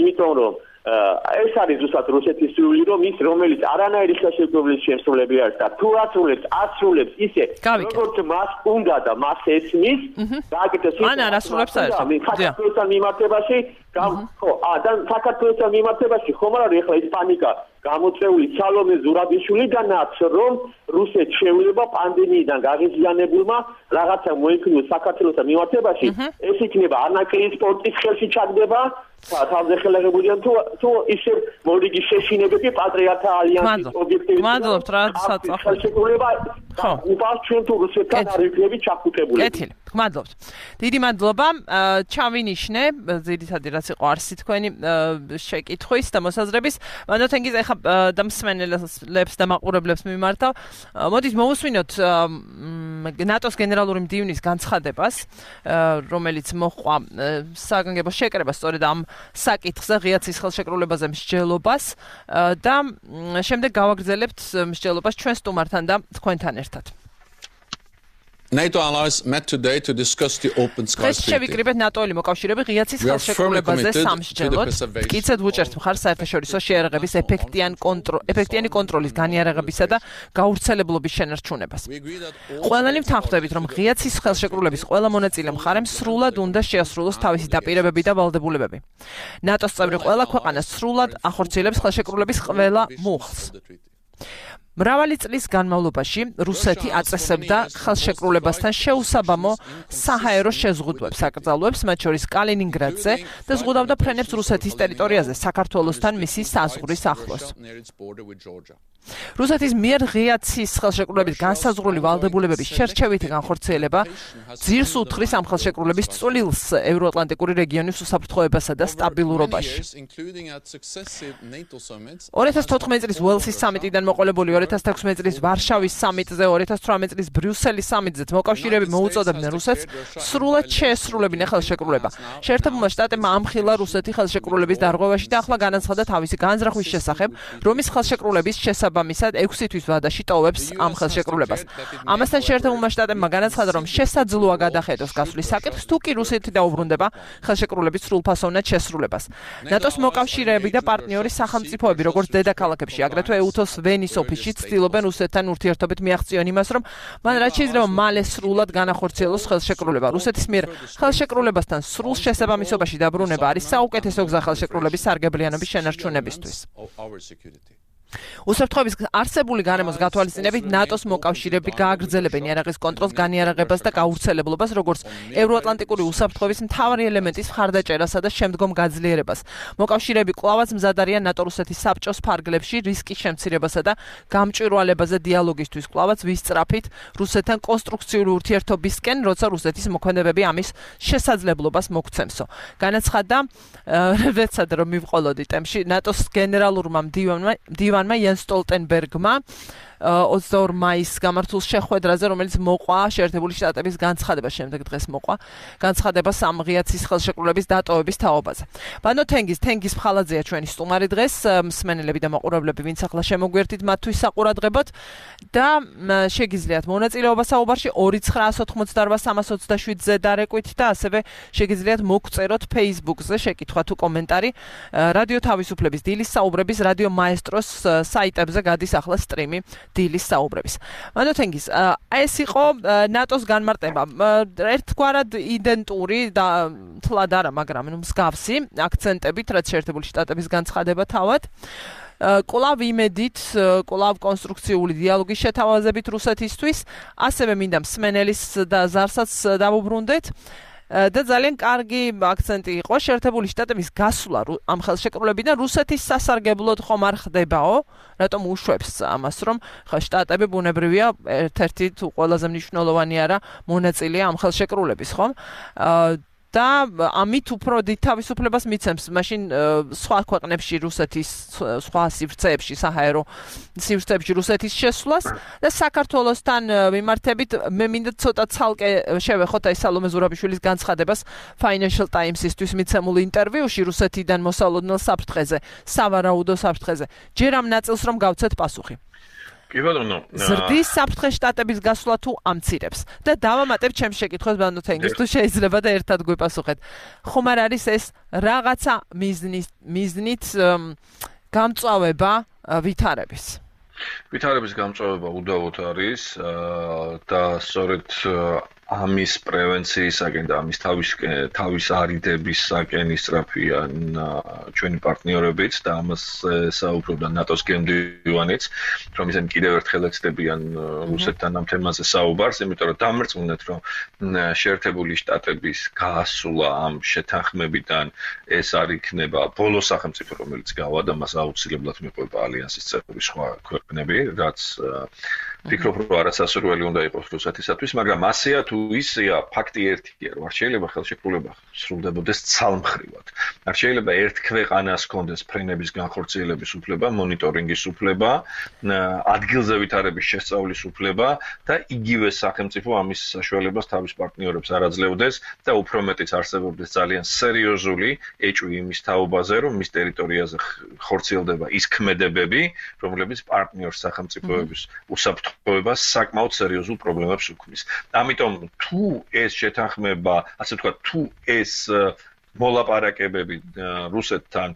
იმიტომ რომ ეს არის ზუსტად რუსეთის სურვილი, რომ ის რომელიც არანაირი ხელშეკრულების შემსრულებელი არის და თუ ასრულებს ისე, როგორც მას უნდა და მას ესმის, გააკეთოს ის
ასრულებს
საქართველოსთან მიმართებაში, ხო, და საქართველოსთან მიმართებაში ხომ არ არის ახლა ის პანიკა გამოწეული სალომე ზურაბიშვილიდანაც, რომ რუსეთს შეუძლება პანდემიიდან გაღიზიანებულმა რაღაცა მოიქნიოს საქართველოსთან მიმართებაში, ეს იქნება ანაკლის სპორტის ხელში ჩაგდება თავზე ხელაღებულია თუ ისე მორიგი შეშინებები პატრიოტთა ალიანსის ობიექტივით
მადლობთ რა საწახო
ხელშეკრულება უპარს ჩვენ თუ რუსეთთან არ ვიქნები ჩაფუტებული
კეთილი მადლობთ დიდი მადლობა ჩავინიშნე ძირითადად რაც იყო არსი თქვენი შეკითხვის და მოსაზრების მანოთენგიზ ეხა და მსმენელებს და მაყურებლებს მიმართავ მოდით მოვუსმინოთ ნატოს გენერალური მდივნის განცხადებას რომელიც მოჰყვა საგანგებო შეკრებას სწორედ ამ საკითხზე ღია ცის ხელშეკრულებაზე მსჯელობას და შემდეგ გავაგრძელებთ მსჯელობას ჩვენ სტუმართან და თქვენთან ერთად.
NATO allies met today to discuss the open skies treaty.
შევიკრიბეთ ნატოელი მოკავშირეები ღია ცის ხელშეკრულებაზე სამსჯელოდ. მტკიცედ ვუჭერთ მხარს საერთაშორისო შეერაღების ეფექტიანი კონტროლის განიარაღებისა და გავრცელებლობის შენარჩუნებას. ყველანი ვთანხმდებით, რომ ღია ცის ხელშეკრულების ყველა მონაწილე მხარემ სრულად უნდა შეასრულოს თავისი დაპირებები და ვალდებულებები. ნატოს წევრი ყველა ქვეყანა სრულად ახორციელებს ხელშეკრულების ყველა მუხლს. მრავალი წლის განმავლობაში რუსეთი აწესებდა ხელშეკრულებასთან შეუსაბამო საჰაერო შეზღუდვებს აკრძალვებს, მათ შორის კალინინგრადზე და ზღუდავდა ფრენებს რუსეთის ტერიტორიაზე, საქართველოსთან მისი საზღვრის ახლოს. რუსეთის მიერ ღია ცის ხელშეკრულების განსაზღვრული ვალდებულებების შერჩევითი განხორციელება ძირს უთხრის ამ ხელშეკრულების წვლილს ევროატლანტიკური რეგიონის უსაფრთხოებასა და სტაბილურობაში. 2014 წლის უელსის სამიტიდან მოყოლებული 2016 წლის ვარშავის სამიტზე, 2018 წლის ბრიუსელის სამიტზეც მოკავშირეები მოუწოდებდნენ რუსეთს სრულად შეესრულებინა ხელშეკრულება. შეერთებულმა შტატებმა ამხილა რუსეთი ხელშეკრულების დარღვევაში და ახლა განაცხადა თავისი განზრახვის შესახებ, რომ ის ხელშეკრულების შესაბამისად 6 თვის ვადაში ტოვებს ამ ხელშეკრულებას. ამასთან შეერთებულმა შტატებმა განაცხადა, რომ შესაძლოა გადახედოს გასვლის საკითხს, თუ კი რუსეთი დაუბრუნდება ხელშეკრულების სრულფასოვნად შესრულებას. ნატოს მოკავშირეები და პარტნიორი სახელმწიფოები, როგორც დედაქალაქებში, აგრეთვე EUTOS ვენის ოფისში ცდილობენ რუსეთთან ურთიერთობით მიაღწიონ იმას, რომ მან რაც შეიძლება მალე სრულად განახორციელოს ხელშეკრულება. რუსეთის მიერ ხელშეკრულებასთან სრულ შესაბამისობაში დაბრუნება არის საუკეთესო გზა ხელშეკრულების სარგებლიანობის შენარჩუნებისთვის. უსაფრთხოების არსებული გარემოს გათვალისწინებით ნატოს მოკავშირეები გააგრძელებენ იარაღის კონტროლს, განიარაღებას და გავრცელებლობას, როგორც ევროატლანტიკური უსაფრთხოების მთავარი ელემენტის მხარდაჭერასა და შემდგომ გაძლიერებას. მოკავშირეები კვლავაც მზად არიან ნატო-რუსეთის საბჭოს ფარგლებში რისკის შემცირებასა და გამჭვირვალებაზე დიალოგისთვის, კვლავაც ვისწრაფით რუსეთთან კონსტრუქციული ურთიერთობისკენ, როცა რუსეთის მოქმედებები ამის შესაძლებლობას მოგცემსო. განაცხადა როდესაც რომ მივყოლოდი ტემში ნატოს გენერალურმა მდივანმა Jens Stoltenbergმა 22 მაისს გამართულ შეხვედრაზე, რომელიც მოყვა შეერთებული შტატების განცხადება შემდეგ დღეს მოყვა განცხადება ღია ცის ხელშეკრულების დატოვების თაობაზე. ბანო თენგიზ ფხალაძეა ჩვენი სტუმარი დღეს, მსმენელები და მაყურებლები, ვინც ახლა შემოგვერთით მათთვის საყურადღებოდ და შეგიძლიათ მონაწილეობა საუბარში 2988327-ზე დარეკვით და ასევე შეგიძლიათ მოგწეროთ Facebook-ზე შეკითხვა თუ კომენტარი რადიო თავისუფლების დილის საუბრების რადიო მაესტროს საიტებზე გადის ახლა სტრიმი დილის საუბრების. მანოთენგიზ, ეს იყო ნატოს განმარტება. ერთგვარად იდენტური და თლად არა, მაგრამ მსგავსი აქცენტებით, რაც შეერთებული შტატების განცხადება თავად. კვლავ იმედით, კვლავ კონსტრუქციული დიალოგის შეთავაზებით რუსეთისთვის, ასევე მინდა მსმენელის და ზარსაც დავუბრუნდეთ. და ძალიან კარგი აქცენტი იყო შეერთებული შტატების გასვლა ამ ხელშეკრულებიდან რუსეთის სასარგებლოდ ხომ არ ხდებაო, რატომ უშვებს ამას, რომ შტატები ბუნებრივია ერთ-ერთი თუ ყველაზე მნიშვნელოვანი არა მონაწილეა ამ ხელშეკრულების, ხომ? და ამით უფრო დიდ თავისუფლებას მიცემს მაშინ სხვა ქვეყნებში რუსეთის სხვა სივრცეებში საჰაერო სივრცეებში რუსეთის შესვლას და საქართველოსთან მიმართებით მე მინდა ცოტა ცალკე შევეხოთ აი სალომე ზურაბიშვილის განცხადებას Financial Times-ისთვის მიცემულ ინტერვიუში რუსეთიდან მოსალოდნელ საფრთხეზე, სავარაუდო საფრთხეზე. ჯერ ამ ნაწილს რომ გავცეთ პასუხი.
კი ბატონო.
ზრდის საფრთხე შტატების გასვლა თუ ამცირებს და დავამატებ ჩემს შეკითხვას ბანოთენგის თუ შეიძლება და ერთად გვიპასუხეთ. ხომ არ არის ეს რაღაცა მიზნით გამწვავება ვითარების?
ვითარების გამწვავება უდავოდ არის და სწორედ ამის პრევენციისაკენ და ამის თავის არიდებისაკენ ისწრაფიან ჩვენი პარტნიორებიც და ამას საუბრობდა ნატოს გემდივანიც, რომ ისინი კიდევ ერთხელ ეცდებიან რუსეთთან ამ თემაზე საუბარს, იმიტომ რომ დამრწმუნეთ, რომ შეერთებული შტატების გასვლა ამ შეთანხმებიდან ეს არ იქნება ბოლო სახელმწიფო, რომელიც გავა და მას აუცილებლად მიყვება ალიანსის წევრი სხვა ქვეყნები, რაც ფიქრობ, რომ არასასურველი უნდა იყოს რუსეთისათვის, მაგრამ ასეა თუ ისეა, ფაქტი ერთია, რომ არ შეიძლება ხელშეკრულება სრულდებოდეს ცალმხრივად. არ შეიძლება ერთ ქვეყანას ჰქონდეს ფრენების განხორციელების უფლება, მონიტორინგის უფლება, ადგილზე ვითარების შესწავლის უფლება და იგივე სახელმწიფო ამის საშუალებას თავის პარტნიორებს არ აძლევდეს და უფრო მეტიც არსებობდეს ძალიან სერიოზული ეჭვი იმის თაობაზე, რომ მის ტერიტორიაზე ხორციელდება ის ქმედებები, რომლებიც პარტნიორ სახელმწიფოების უსაფრთხოებას საკმაოდ სერიოზულ პრობლემებს უქმნის. ამიტომ თუ ეს შეთანხმება, ასე ვთქვათ, თუ ეს მოლაპარაკებები რუსეთთან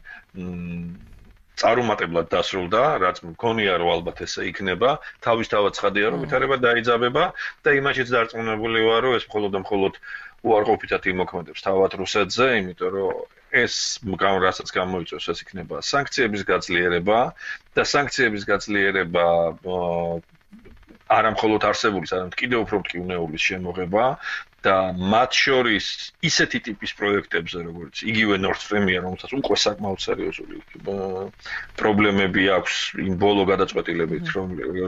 წარუმატებლად დასრულდა, რაც მგონია რომ ალბათ ესე იქნება, თავისთავად ცხადია რომ ვითარება დაიძაბება და იმაშიც დარწმუნებული ვარ, რომ ეს მხოლოდ უარყოფითად იმოქმედებს თავად რუსეთზე, იმიტომ რომ ეს რასაც გამოიწვევს, ეს იქნება სანქციების გაძლიერება და სანქციების გაძლიერება არა მხოლოდ არსებულის, არამედ კიდევ უფრო მტკივნეულის შემოღება და მათ შორის ისეთი ტიპის პროექტებზე, როგორც იგივე Nord Stream-ია, რომელსაც უკვე საკმაოდ სერიოზული პრობლემები აქვს იმ ბოლო გადაწყვეტილებით,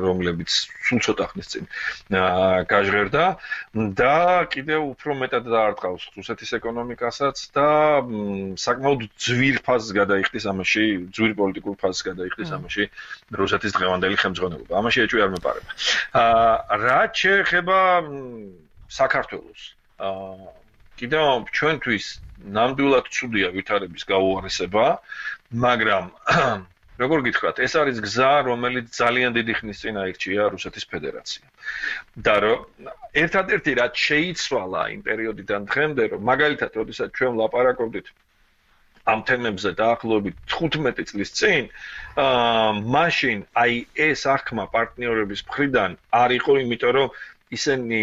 რომლებიც სულ ცოტა ხნის წინ გაჟღერდა და კიდევ უფრო მეტად დაარტყავს რუსეთის ეკონომიკასაც და საკმაოდ ძვირ ფაზს გადაიხდის ამაში, ძვირ პოლიტიკურ ფაზს გადაიხდის ამაში რუსეთის დღევანდელი ხელმძღვანელობა. ამაში ეჭვი არ მეპარება. რაც შეეხება საქართველოს კიდევ ჩვენთვის ნამდვილად ცუდია ვითარების გაუარესება, მაგრამ როგორ გითხრათ, ეს არის გზა, რომელიც ძალიან დიდი ხნის წინ აირჩია რუსეთის ფედერაციამ. და რომ ერთადერთი რაც შეიცვალა იმ პერიოდიდან დღემდე, რომ მაგალითად, როდესაც ჩვენ ვლაპარაკობდით ამ თემებზე დაახლოებით 15 წლის წინ, მაშინ აი ეს აღქმა პარტნიორების მხრიდან არ იყო, იმიტომ რომ ისინი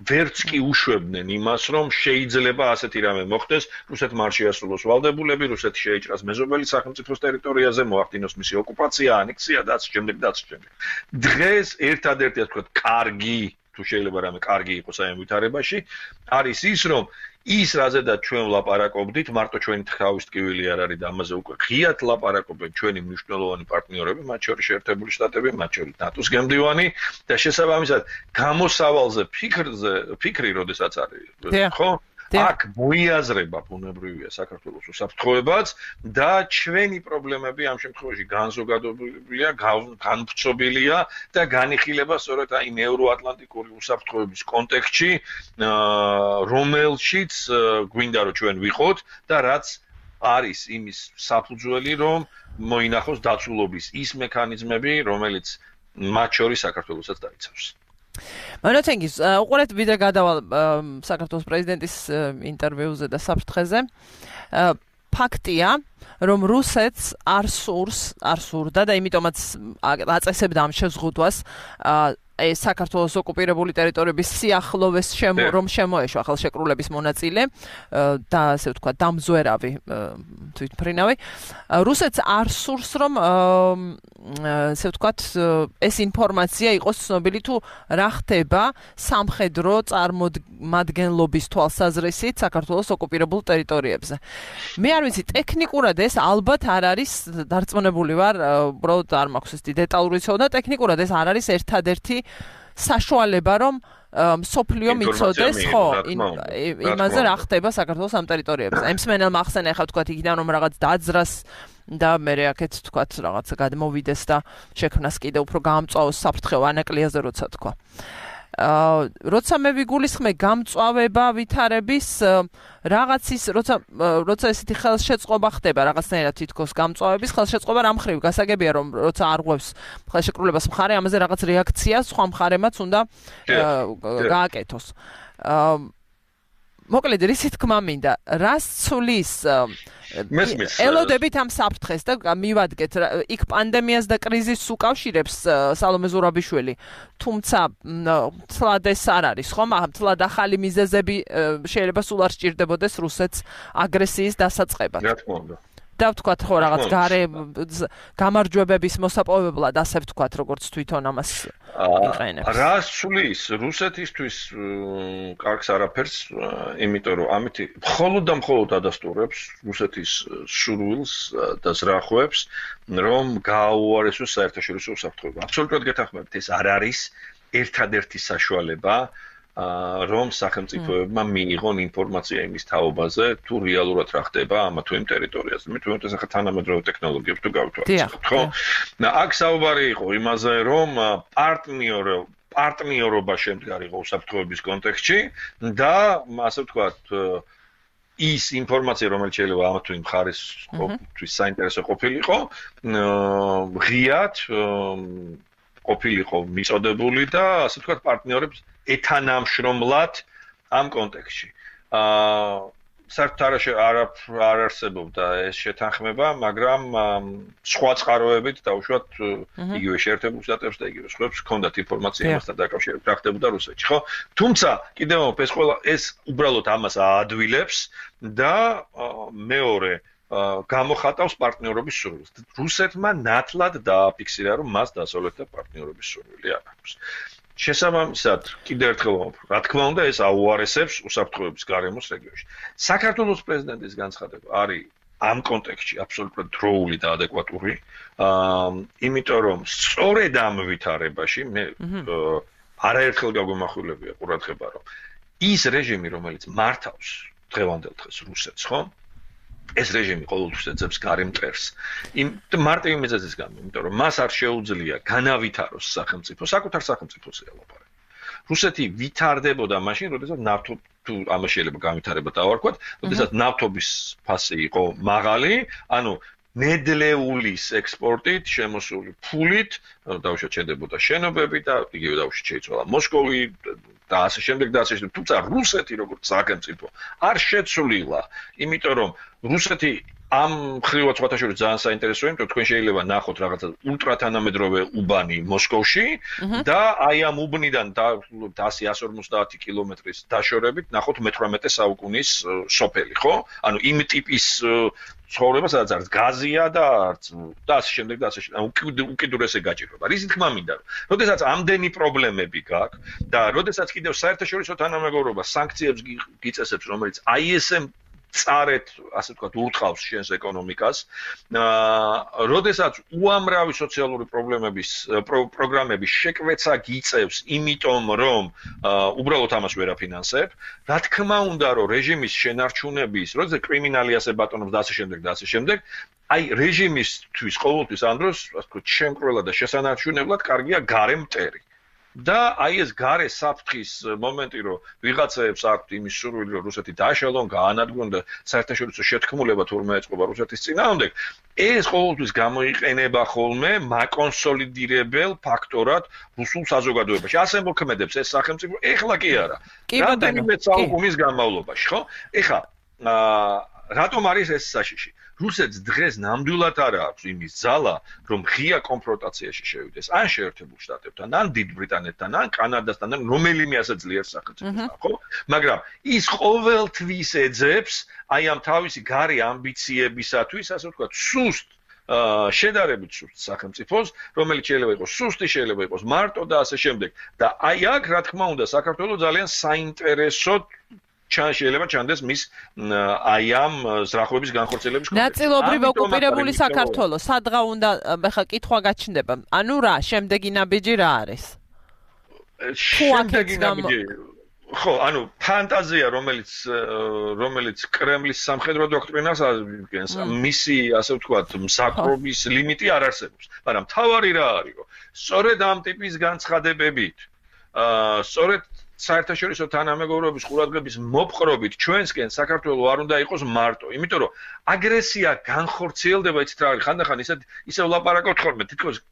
ვერც კი უშვებდნენ იმას, რომ შეიძლება ასეთი რამე მოხდეს, რუსეთმა არ შეასრულოს ვალდებულები, რუსეთი შეიჭრას მეზობელი სახელმწიფოს ტერიტორიაზე, მოახდინოს მისი ოკუპაცია, ანექსია და ასე შემდეგ. დღეს ერთადერთი, ასე ვთქვათ, კარგი, თუ შეიძლება რამე კარგი იყოს აი ამ ვითარებაში, არის ის, რომ ის რაზედაც ჩვენ ვლაპარაკობდით, მარტო ჩვენი თავის ტკივილი არ არის და ამაზე უკვე ღიად ლაპარაკობენ ჩვენი მნიშვნელოვანი პარტნიორები, მათ შორის შეერთებული შტატები, მათ შორის ნატოს გემდივანი და შესაბამისად გამოსავალზე ფიქრი, როდესაც არის, ხო? აქ მოიაზრება ბუნებრივია საქართველოს უსაფრთხოებაც და ჩვენი პრობლემები ამ შემთხვევაში განზოგადებულია, განვრცობილია და განიხილება სწორედ აი ევროატლანტიკური უსაფრთხოების კონტექსტში, რომელშიც გვინდა რომ ჩვენ ვიყოთ და რაც არის იმის საფუძველი, რომ მოინახოს დაცულობის ის მექანიზმები, რომელიც მათ შორის საქართველოსაც დაიცავს.
მონოთენგის უყურეთ ვიდრე გადავალ საქართველოს პრეზიდენტის ინტერვიუზე და საფრთხეზე. ფაქტია, რომ რუსეთს არ სურდა და იმიტომაც აწესებდა ამ შეზღუდვას საქართველოს ოკუპირებული ტერიტორიების სიახლოვეს რომ შემოეშვა ხელშეკრულების მონაწილე და ასე ვთქვათ დამზვერავი თვითმფრინავი. რუსეთს არ სურს, რომ ასე ვთქვათ ეს ინფორმაცია იყოს ცნობილი თუ რა ხდება სამხედრო წარმომადგენლობის თვალსაზრისით საქართველოს ოკუპირებულ ტერიტორიებზე. მე არ ვიცი, ტექნიკურად ეს ალბათ არ არის დარწმუნებული ვარ, უბრალოდ არ მაქვს ეს დეტალური ცოდნა, ტექნიკურად ეს არ არის ერთადერთი საშუალება რომ სოფლიო მიცოდეს ხო იმაზე რა ხდება საქართველოს ამ ტერიტორიებზე. ემსმენელმა ახსენა ახლა თქვათ იქიდან რომ რაღაც დაძრას და მე აქეთ თქვათ რაღაცა გადმოვიდეს და შექმნას კიდე უფრო გაამწვავოს საფრთხე ანაკლიაზე როცა თქვა. როცა მე ვიგულისხმე გამწვავება ვითარების რაღაცის როცა ესეთი ხელშეწყობა ხდება რაღაცნაირად თითქოს გამწვავების ხელშეწყობა რამ ხრივ გასაგებია რომ როცა არღვევს ხელშეკრულებას მხარე ამაზე რაღაც რეაქცია სხვა მხარემაც უნდა გააკეთოს. მოკლედ რისი თქმა მინდა რას ცulis ელოდებით ამ საფრთხეს და მივადგეთ იქ პანდემიას და კრიზისს უკავშირებს სალომე ზურაბიშვილი თუმცა თლად ეს არ არის ხო მაგრამ თლად ახალი მიზეზები შეიძლება სულ არ სჭირდებოდეს რუსეთს აგრესიის დასაწყებად
რა თქმა უნდა
და ვთქვათ ხო რაღაც გარე გამარჯვებების მოსაპოვებლად ასე ვთქვათ როგორც თვითონ ამას იყენებს.
რა სulis რუსეთისთვის კარგს არაფერს, იმიტომ რომ ამით მხოლოდ და მხოლოდ ადასტურებს რუსეთის სურვილს და ზრახვებს, რომ გააუარესოს საერთაშორისო უსაფრთხოება. აბსოლუტურად გეთანხმებით, ეს არ არის ერთადერთი საშუალება რომ სახელმწიფოებმა მიიღონ ინფორმაცია იმის თაობაზე, თუ რეალურად რა ხდება ამ თუ იმ ტერიტორიაზე. მე თვითონ ეს ახლა თანამედროვე ტექნოლოგიებს თუ გავთვალისწინებთ, ხო? აქ საუბარი იყო იმაზე, რომ პარტნიორობა შემდგარიყო უსაფრთხოების კონტექსტში და ასე ვთქვათ ის ინფორმაცია, რომელიც შეიძლება ამ თუ იმ მხარესთვის საინტერესო ყოფილიყო, ღიად ყოფილიყო მიწოდებული და ასე ვთქვათ პარტნიორებს ეთანამშრომლად ამ კონტექსტში. საერთოდ არ არსებობდა ეს შეთანხმება, მაგრამ სხვა წყაროებით დაუშვათ იგივე შეერთებულ შტატებს და იგივე სხვებს ჰქონდათ ინფორმაცია იმასთან დაკავშირებით, რა ხდებოდა რუსეთში, ხო? თუმცა კიდევ ეს უბრალოდ ამას აადვილებს და მეორე გამოხატავს პარტნიორობის სურვილს. რუსეთმა ნათლად დააფიქსირა, რომ მას დასავლეთთან პარტნიორობის სურვილი არ აქვს. შესაბამისად, კიდევ ერთხელ ვამბობ, რა თქმა უნდა, ეს აუარესებს უსაფრთხოების გარემოს რეგიონში. საქართველოს პრეზიდენტის განცხადება არის ამ კონტექსტში აბსოლუტურად დროული და ადეკვატური, იმიტომ რომ სწორედ ამ ვითარებაში მე არაერთხელ გაგვემახვილებია ყურადღება, რომ ის რეჟიმი, რომელიც მართავს დღევანდელ დღეს რუსეთს, ხო? ეს რეჟიმი ყოველთვის ეძებს გარემტერს. მარტივი მიზეზის გამო, იმიტომ რომ მას არ შეუძლია განავითაროს სახელმწიფო, საკუთარ სახელმწიფოზე ელაპარაკი. რუსეთი ვითარდებოდა მაშინ, როდესაც ნავთობ თუ ამას შეიძლება განვითარება დავარქვათ, როდესაც ნავთობის ფასი იყო მაღალი, ანუ ნედლეულის ექსპორტით შემოსული ფულით დაუშვათ შედებოდა შენობები და იგივე დაუშვათ შეიცვალა მოსკოვი და ასე შემდეგ და ასე შემდეგ. თუმცა რუსეთი როგორც სახელმწიფო არ შეცვლილა, იმიტომ რომ რუსეთი ამ ხრივად სხვათა შორის ძალიან საინტერესოა, იმიტომ თქვენ შეიძლება ნახოთ რაღაცა ულტრათანამედროვე უბანი მოსკოვში და აი ამ უბნიდან 100-150 კილომეტრის დაშორებით ნახოთ მე-18 საუკუნის სოფელი, ხო? ანუ იმ ტიპის ცხოვრება, სადაც არც გაზია და არც და ასე შემდეგ და ასე შემდეგ. უკიდურესი გაჭირვება. რისი თქმა მინდა, როდესაც ამდენი პრობლემები გაქვს და როდესაც კიდევ საერთაშორისო თანამეგობრობა სანქციებს გიწესებს, რომელიც ISM წარეთ, ასე ვთქვათ, ურტყავს შენს ეკონომიკას, როდესაც უამრავი სოციალური პროგრამების შეკვეცა გიწევს, იმიტომ რომ უბრალოდ ამას ვერ აფინანსებ, რა თქმა უნდა, რომ რეჟიმის შენარჩუნების, როდესაც კრიმინალი ასე ბატონობს და ასე შემდეგ და ასე შემდეგ, აი რეჟიმისთვის ყოველთვის ამ დროს, ასე ვთქვათ, შემკრველად და შესანარჩუნებლად კარგია გარე მტერი. და აი ეს გარე საფრთხის მომენტი, რომ ვიღაცებს აქვთ იმის სურვილი, რომ რუსეთი დააშალონ, გაანადგურონ და საერთაშორისო შეთქმულება თურმე ეწყობა რუსეთის წინააღმდეგ, ეს ყოველთვის გამოიყენება ხოლმე მაკონსოლიდირებელ ფაქტორად რუსულ საზოგადოებაში. ასე მოქმედებს ეს სახელმწიფო, ეხლა კი არა. რამდენიმე საუკუნის განმავლობაში, ხო? ეხლა რატომ არის ეს საშიში? რუსეთს დღეს ნამდვილად არ აქვს იმის ძალა, რომ ღია კონფრონტაციაში შევიდეს ან შეერთებულ შტატებთან, ან დიდ ბრიტანეთთან, ან კანადასთან, ან რომელიმე ასე ძლიერ სახელმწიფოსთან, ხო? მაგრამ ის ყოველთვის ეძებს აი ამ თავისი გარე ამბიციებისათვის, ასე ვთქვათ, სუსტ შედარებით სუსტ სახელმწიფოს, რომელიც შეიძლება იყოს სუსტი, შეიძლება იყოს მარტო და ასე შემდეგ. და აი აქ, რა თქმა უნდა, საქართველოს ძალიან საინტერესოდ შეიძლება ჩანდეს მის აი ამ ზრახვების განხორციელების კონტექსტში.
ნაწილობრივ ოკუპირებული საქართველოს, სადღა უნდა ხა კითხვა გაჩნდება. ანუ რა, შემდეგი ნაბიჯი რა არის?
შემდეგი ნაბიჯი ხო, ანუ ფანტაზია, რომელიც კრემლის სამხედრო დოქტრინას ადგენს, მისი, ასე ვთქვათ, მსაყრობის ლიმიტი არ არსებობს. მაგრამ თავარი რა არისო? სწორედ ამ ტიპის განცხადებებით, სწორედ საერთაშორისო თანამეგობრობის ყურადღების მოპყრობით ჩვენსკენ საქართველოს არ უნდა იყოს მარტო, იმიტომ რომ აგრესია განხორციელდება, იცით რა არის, ხანდახან ისევ ლაპარაკობთ ხოლმე, თითქოს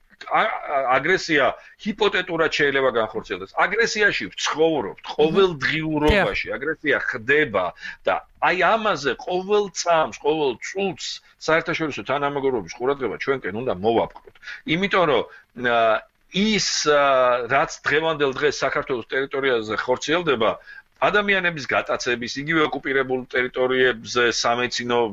აგრესია ჰიპოთეტურად შეიძლება განხორციელდეს. აგრესიაში ვცხოვრობთ ყოველდღიურობაში, აგრესია ხდება და აი ამაზე ყოველ წამს, ყოველ წუთს საერთაშორისო თანამეგობრობის ყურადღება ჩვენკენ უნდა მოვაპყროთ. იმიტომ რომ ის რაც დღევანდელ დღეს საქართველოს ტერიტორიაზე ხორციელდება ადამიანების გატაცების, იგივე ოკუპირებულ ტერიტორიებზე სამეცნიერო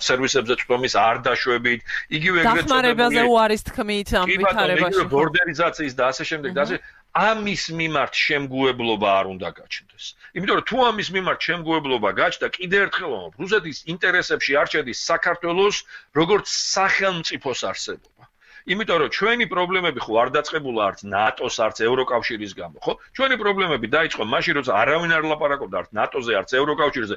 სერვისებზე წვდომის არ დაშვებით, იგივე ეგრეთ
დახმარებაზე უარის თქმით ამ ვითარებაში.
იგივე ბორდერიზაციის და ასე შემდეგ და ასე ამის მიმართ შემგუებლობა არ უნდა გაჩნდეს. იმიტომ რომ თუ ამის მიმართ შემგუებლობა გაჩნდა, კიდევ ერთხელ ვამბობ, რუსეთის ინტერესებში არ შედის საქართველოს როგორც სახელმწიფოს არსებობა. იმიტომ რომ ჩვენი პრობლემები ხო არ დაწყებულა არც ნატოს, არც ევროკავშირის გამო, ხო? ჩვენი პრობლემები დაიწყო მაშინ, როცა არავინ არ ლაპარაკობდა არც ნატოზე, არც ევროკავშირზე.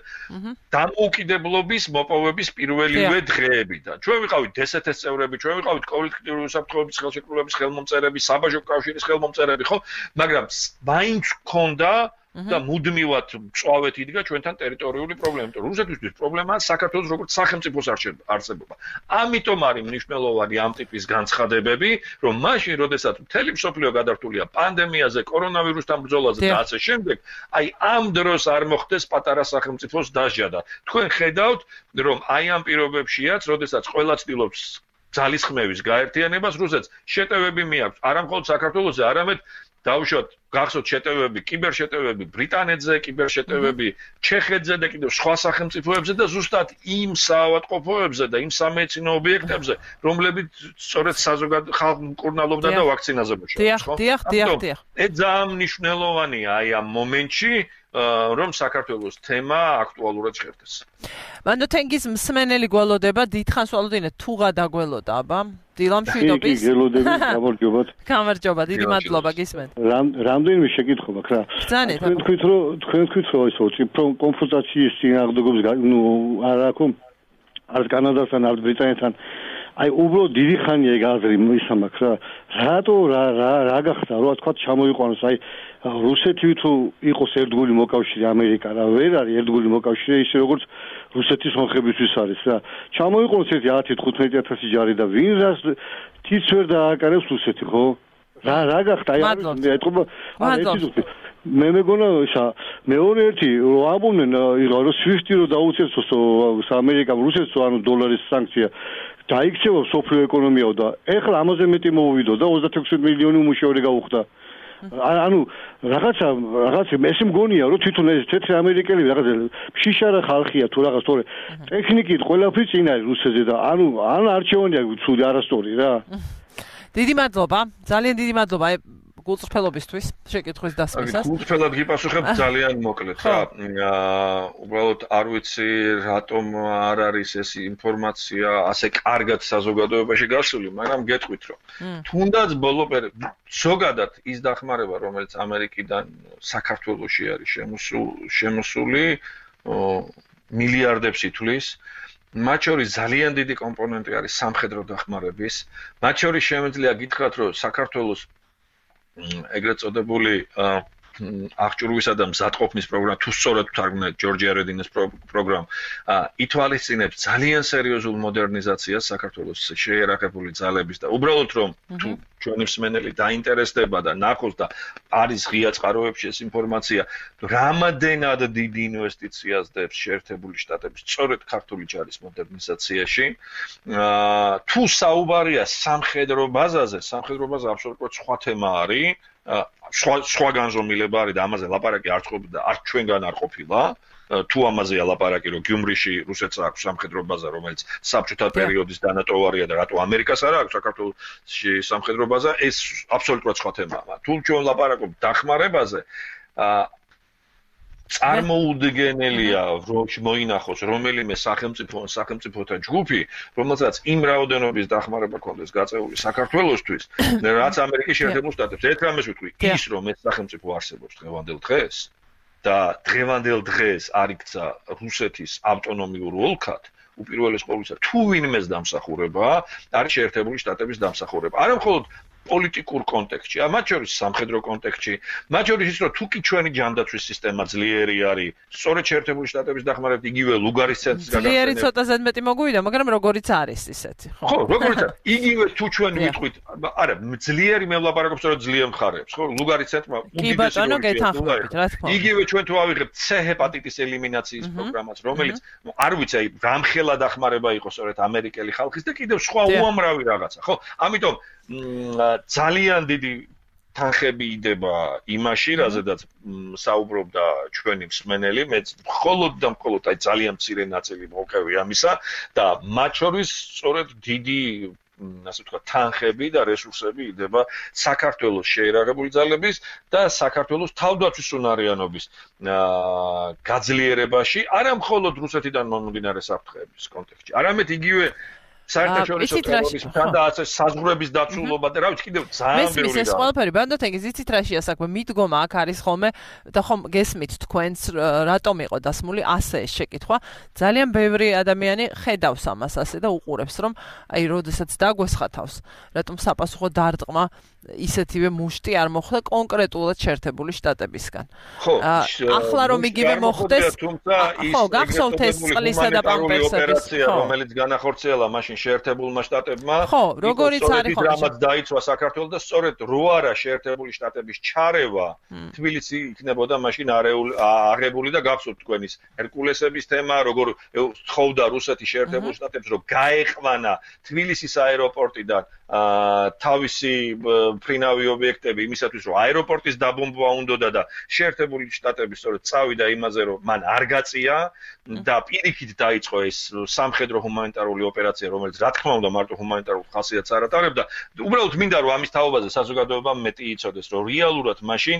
დამოუკიდებლობის მოპოვების პირველივე დღეებიდან. ჩვენ ვიყავით დსთ-ს წევრები, ჩვენ ვიყავით კოლექტიური უსაფრთხოების ხელშეკრულების ხელმომწერები, საბაჟო კავშირის ხელმომწერები, ხო? მაგრამ მაინც ჰქონდა და მუდმივად წვავეთ იდგა ჩვენთან ტერიტორიული პრობლემა. რუსეთისთვის პრობლემაა საქართველოს როგორც სახელმწიფოს არსებობა. ამიტომ არის მნიშვნელოვანი ამ ტიპის განცხადებები, რომ მაშინ, როდესაც მთელი მსოფლიო გადართულია პანდემიაზე, კორონავირუსთან ბრძოლაზე და ასე შემდეგ, აი ამ დროს არ მოხდეს პატარა სახელმწიფოს დასჯა და თქვენ ხედავთ, რომ აი ამ პირობებშიაც, როდესაც ყველა ცდილობს ძალისხმევის გაერთიანებას, რუსეთს შეტევები მიაქვს, არა მხოლოდ საქართველოზე, არამედ დავუშვათ გახსოვთ შეტევები, კიბერშეტევები ბრიტანეთზე, კიბერშეტევები ჩეხეთზე და კიდევ სხვა სახელმწიფოებზე და ზუსტად იმ საავადმყოფოებზე და იმ სამეცნიერო ობიექტებზე, რომლებიც სწორედ საზოგადო ხალხ მკურნალობდა და ვაქცინაზე მუშაობს, ხო?
დიახ.
ეს ძალიან მნიშვნელოვანია აი ამ მომენტში, რომ საქართველოს თემა აქტუალურად ჟღერდეს.
მანდო თენგის მსმენელი გველოდება, დიდხანს ვალოდინე თუ გადაგველოდა, აბა? დილამშვიდობის.
გველოდები, გამარჯობათ.
გამარჯობა, დიდი მადლობა გისმენთ.
რამდენიმე შეკითხვა მაქვს რა. თქვენ თქვით რომ ისო ციფრო კონფუტაციის წინააღმდეგობის არ აქვს არც კანადასთან, არც ბრიტანეთთან. აი უბრალოდ დიდი ხანია ეგ აზრი მისამაქვს რა. რატო რა გახდა რა თქვა ჩამოიყვანოს აი რუსეთი თუ იყოს ერთგული მოკავშირე ამერიკა რა ვერ არის ერთგული მოკავშირე ისე როგორც რუსეთის მომხრებისთვის არის რა. ჩამოიყვანოს ერთი 10-15,000 ჯარი და ვინ რას თიც ვერ დააკარებს რუსეთი ხო? რა გახდა აი ეთქობა მე მეგონა ისა მეორე ერთი რომ ამბობდნენ რომ SWIFT-ი რომ დაუწესოს ამერიკამ რუსეთს ანუ დოლარის სანქცია დაიქცევა სოფლიო ეკონომიაო და ეხლა ამაზე მეტი მოვიდო და 36 მილიონი უმუშევრე გაუხდა. ანუ რაღაცა ეს მგონია რომ თვითონ ეს თეთრი ამერიკელი რაღაცა შიშარა ხალხია თუ რაღაც თორე ტექნიკით ყველაფერი წინ არის რუსეთზე და ანუ არჩევანია ცუდი არასწორი რა.
დიდი მადლობა, ძალიან დიდი მადლობა გულწრფელობისთვის შეკითხვის დასმისას.
გულწრფელად გიპასუხებ ძალიან მოკლედ რა. უბრალოდ არ ვიცი რატომ არ არის ეს ინფორმაცია ასე კარგად საზოგადოებაში გასული, მაგრამ გეტყვით რომ თუნდაც ბოლო ზოგადად ის დახმარება, რომელიც ამერიკიდან საქართველოში არის შემოსული, მილიარდებს ითვლის. მათ შორის ძალიან დიდი კომპონენტი არის სამხედრო დახმარების. მათ შორის შემიძლია გითხრათ, რომ საქართველოს ეგრეთ წოდებული აღჭურვისა და მზადყოფნის პროგრამა თუ სწორად ვთარგმნეთ ჯორჯია რედინის პროგრამა ითვალისწინებს ძალიან სერიოზულ მოდერნიზაციას საქართველოს შეერაღებული ძალების და უბრალოდ რომ თუ ჩვენი მსმენელი დაინტერესდება და ნახოს და არის ღია წყაროებში ეს ინფორმაცია რამადენად დიდი ინვესტიციას დებს შეერთებული შტატების სწორედ ქართული ჯარის მოდერნიზაციაში თუ საუბარია სამხედრო ბაზაზე აბსოლუტურად სხვა თემა არის სხვა განზომილება არის და ამაზე ლაპარაკი არ ყოფილა და არც ჩვენგან არ ყოფილა თუ ამაზეა ლაპარაკი რომ გიუმრიში რუსეთს აქვს სამხედრო ბაზა რომელიც საბჭოთა პერიოდის დანატოვარია და რატო ამერიკას არ აქვს საქართველოში სამხედრო ბაზა ეს აბსოლუტურად სხვა თემაა თუ ჩვენ ლაპარაკობთ დახმარებაზე წარმოუდგენელია მოინახოს რომელიმე სახელმწიფოთა ჯგუფი, რომელსაც იმ რაოდენობის დახმარება ქონდეს გაწეული საქართველოსთვის, რაც ამერიკის შეერთებულ შტატებს. ერთ რამეს ვიტყვი, ის რომ ეს სახელმწიფო არსებობს დღევანდელ დღეს და დღევანდელ დღეს არ იქცა რუსეთის ავტონომიურ ოლქად, უპირველეს ყოვლისა, თუ ვინმეს დამსახურება, არის შეერთებული შტატების დამსახურება. არა მხოლოდ პოლიტიკურ კონტექსტში, მათ შორის სამხედრო კონტექსტში, მათ შორის ის რომ თუ კი ჩვენი ჯანდაცვის სისტემა ძლიერი არის, სწორედ შეერთებული შტატების დახმარებით იგივე ლუგარის ცენტრის გადახდენა.
ძლიერი ცოტა ზედმეტი მოგვიდა, მაგრამ როგორიც არის ისეთი.
ხო, როგორიც არის. იგივე თუ ჩვენ ვიტყვით, არა, ძლიერი მე ვლაპარაკობ სწორედ ძლიერ მხარეებს, ხო, ლუგარის ცენტრმა
უდიდესი როლი გეთანხმებით, რა თქმა უნდა.
იგივე ჩვენ თუ ავიღებთ C ჰეპატიტის ელიმინაციის პროგრამას, რომელიც არ ვიცი, აი, რამხელა დახმარება იყო სწორედ ამერიკელი ხალხის და კიდევ სხვა უამრავი რაღაცა, ხო? ამიტომ ძალიან დიდი თანხები იდება იმაში, რაზედაც საუბრობდა ჩვენი მსმენელი, მეც მხოლოდ და მხოლოდ აი ძალიან მცირე ნაწილი მოვყევი ამისა და მათ შორის სწორედ დიდი ასე ვთქვათ, თანხები და რესურსები იდება საქართველოს შეერაღებული ძალების და საქართველოს თავდაცვის უნარიანობის გაძლიერებაში, არა მხოლოდ რუსეთიდან მომდინარე საფრთხეების კონტექსტში, არამედ იგივე საერთაშორისო ტერორიზმთან და ასე საზღვრების დაცულობა და რა ვიცი კიდევ ძალიან ბევრი
რა. ეს ყველაფერი ბანდოთენგის იცით რაშია საქმე, მიდგომა აქ არის ხოლმე და ხომ გესმით თქვენს რატომ იყო დასმული ასე ეს შეკითხვა. ძალიან ბევრი ადამიანი ხედავს ამას ასე და უყურებს რომ აი როდესაც დაგვესხა თავს, რატომ საპასუხო დარტყმა ისეთივე მუშტი არ მოხდა კონკრეტულად შეერთებული შტატებისგან.
ხო,
ახლა რომ იგივე მოხდეს, ხო, გახსოვთ ეს წყლისა და პამპერსების
ოპერაცია, რომელიც განახორციელა მაშინ შეერთებულმა შტატებმა,
ხო, როგორიც არის ხო,
რამაც დაიცვა საქართველოს და სწორედ რო არა შეერთებული შტატების ჩარევა, თბილისი იქნებოდა მაშინ აღებული და გახსოვთ თქვენის ჰერკულესების თემა, როგორ თხოვდა რუსეთი შეერთებულ შტატებს, რომ გაეყვანა თბილისის აეროპორტიდან თავისი ფრინავი ობიექტები იმისათვის რომ აეროპორტის დაბომბვა უნდოდა და შეერთებული შტატები სწორედ წავიდა იმაზე რომ მან არ გაწია და პირიქით დაიწყო ეს სამხედრო ჰუმანიტარული ოპერაცია რომელიც რა თქმა უნდა მარტო ჰუმანიტარულ ხასიათს არ ატარებდა უბრალოდ მინდა რომ ამის თაობაზე საზოგადოებამ მეტი იცოდეს რომ რეალურად მაშინ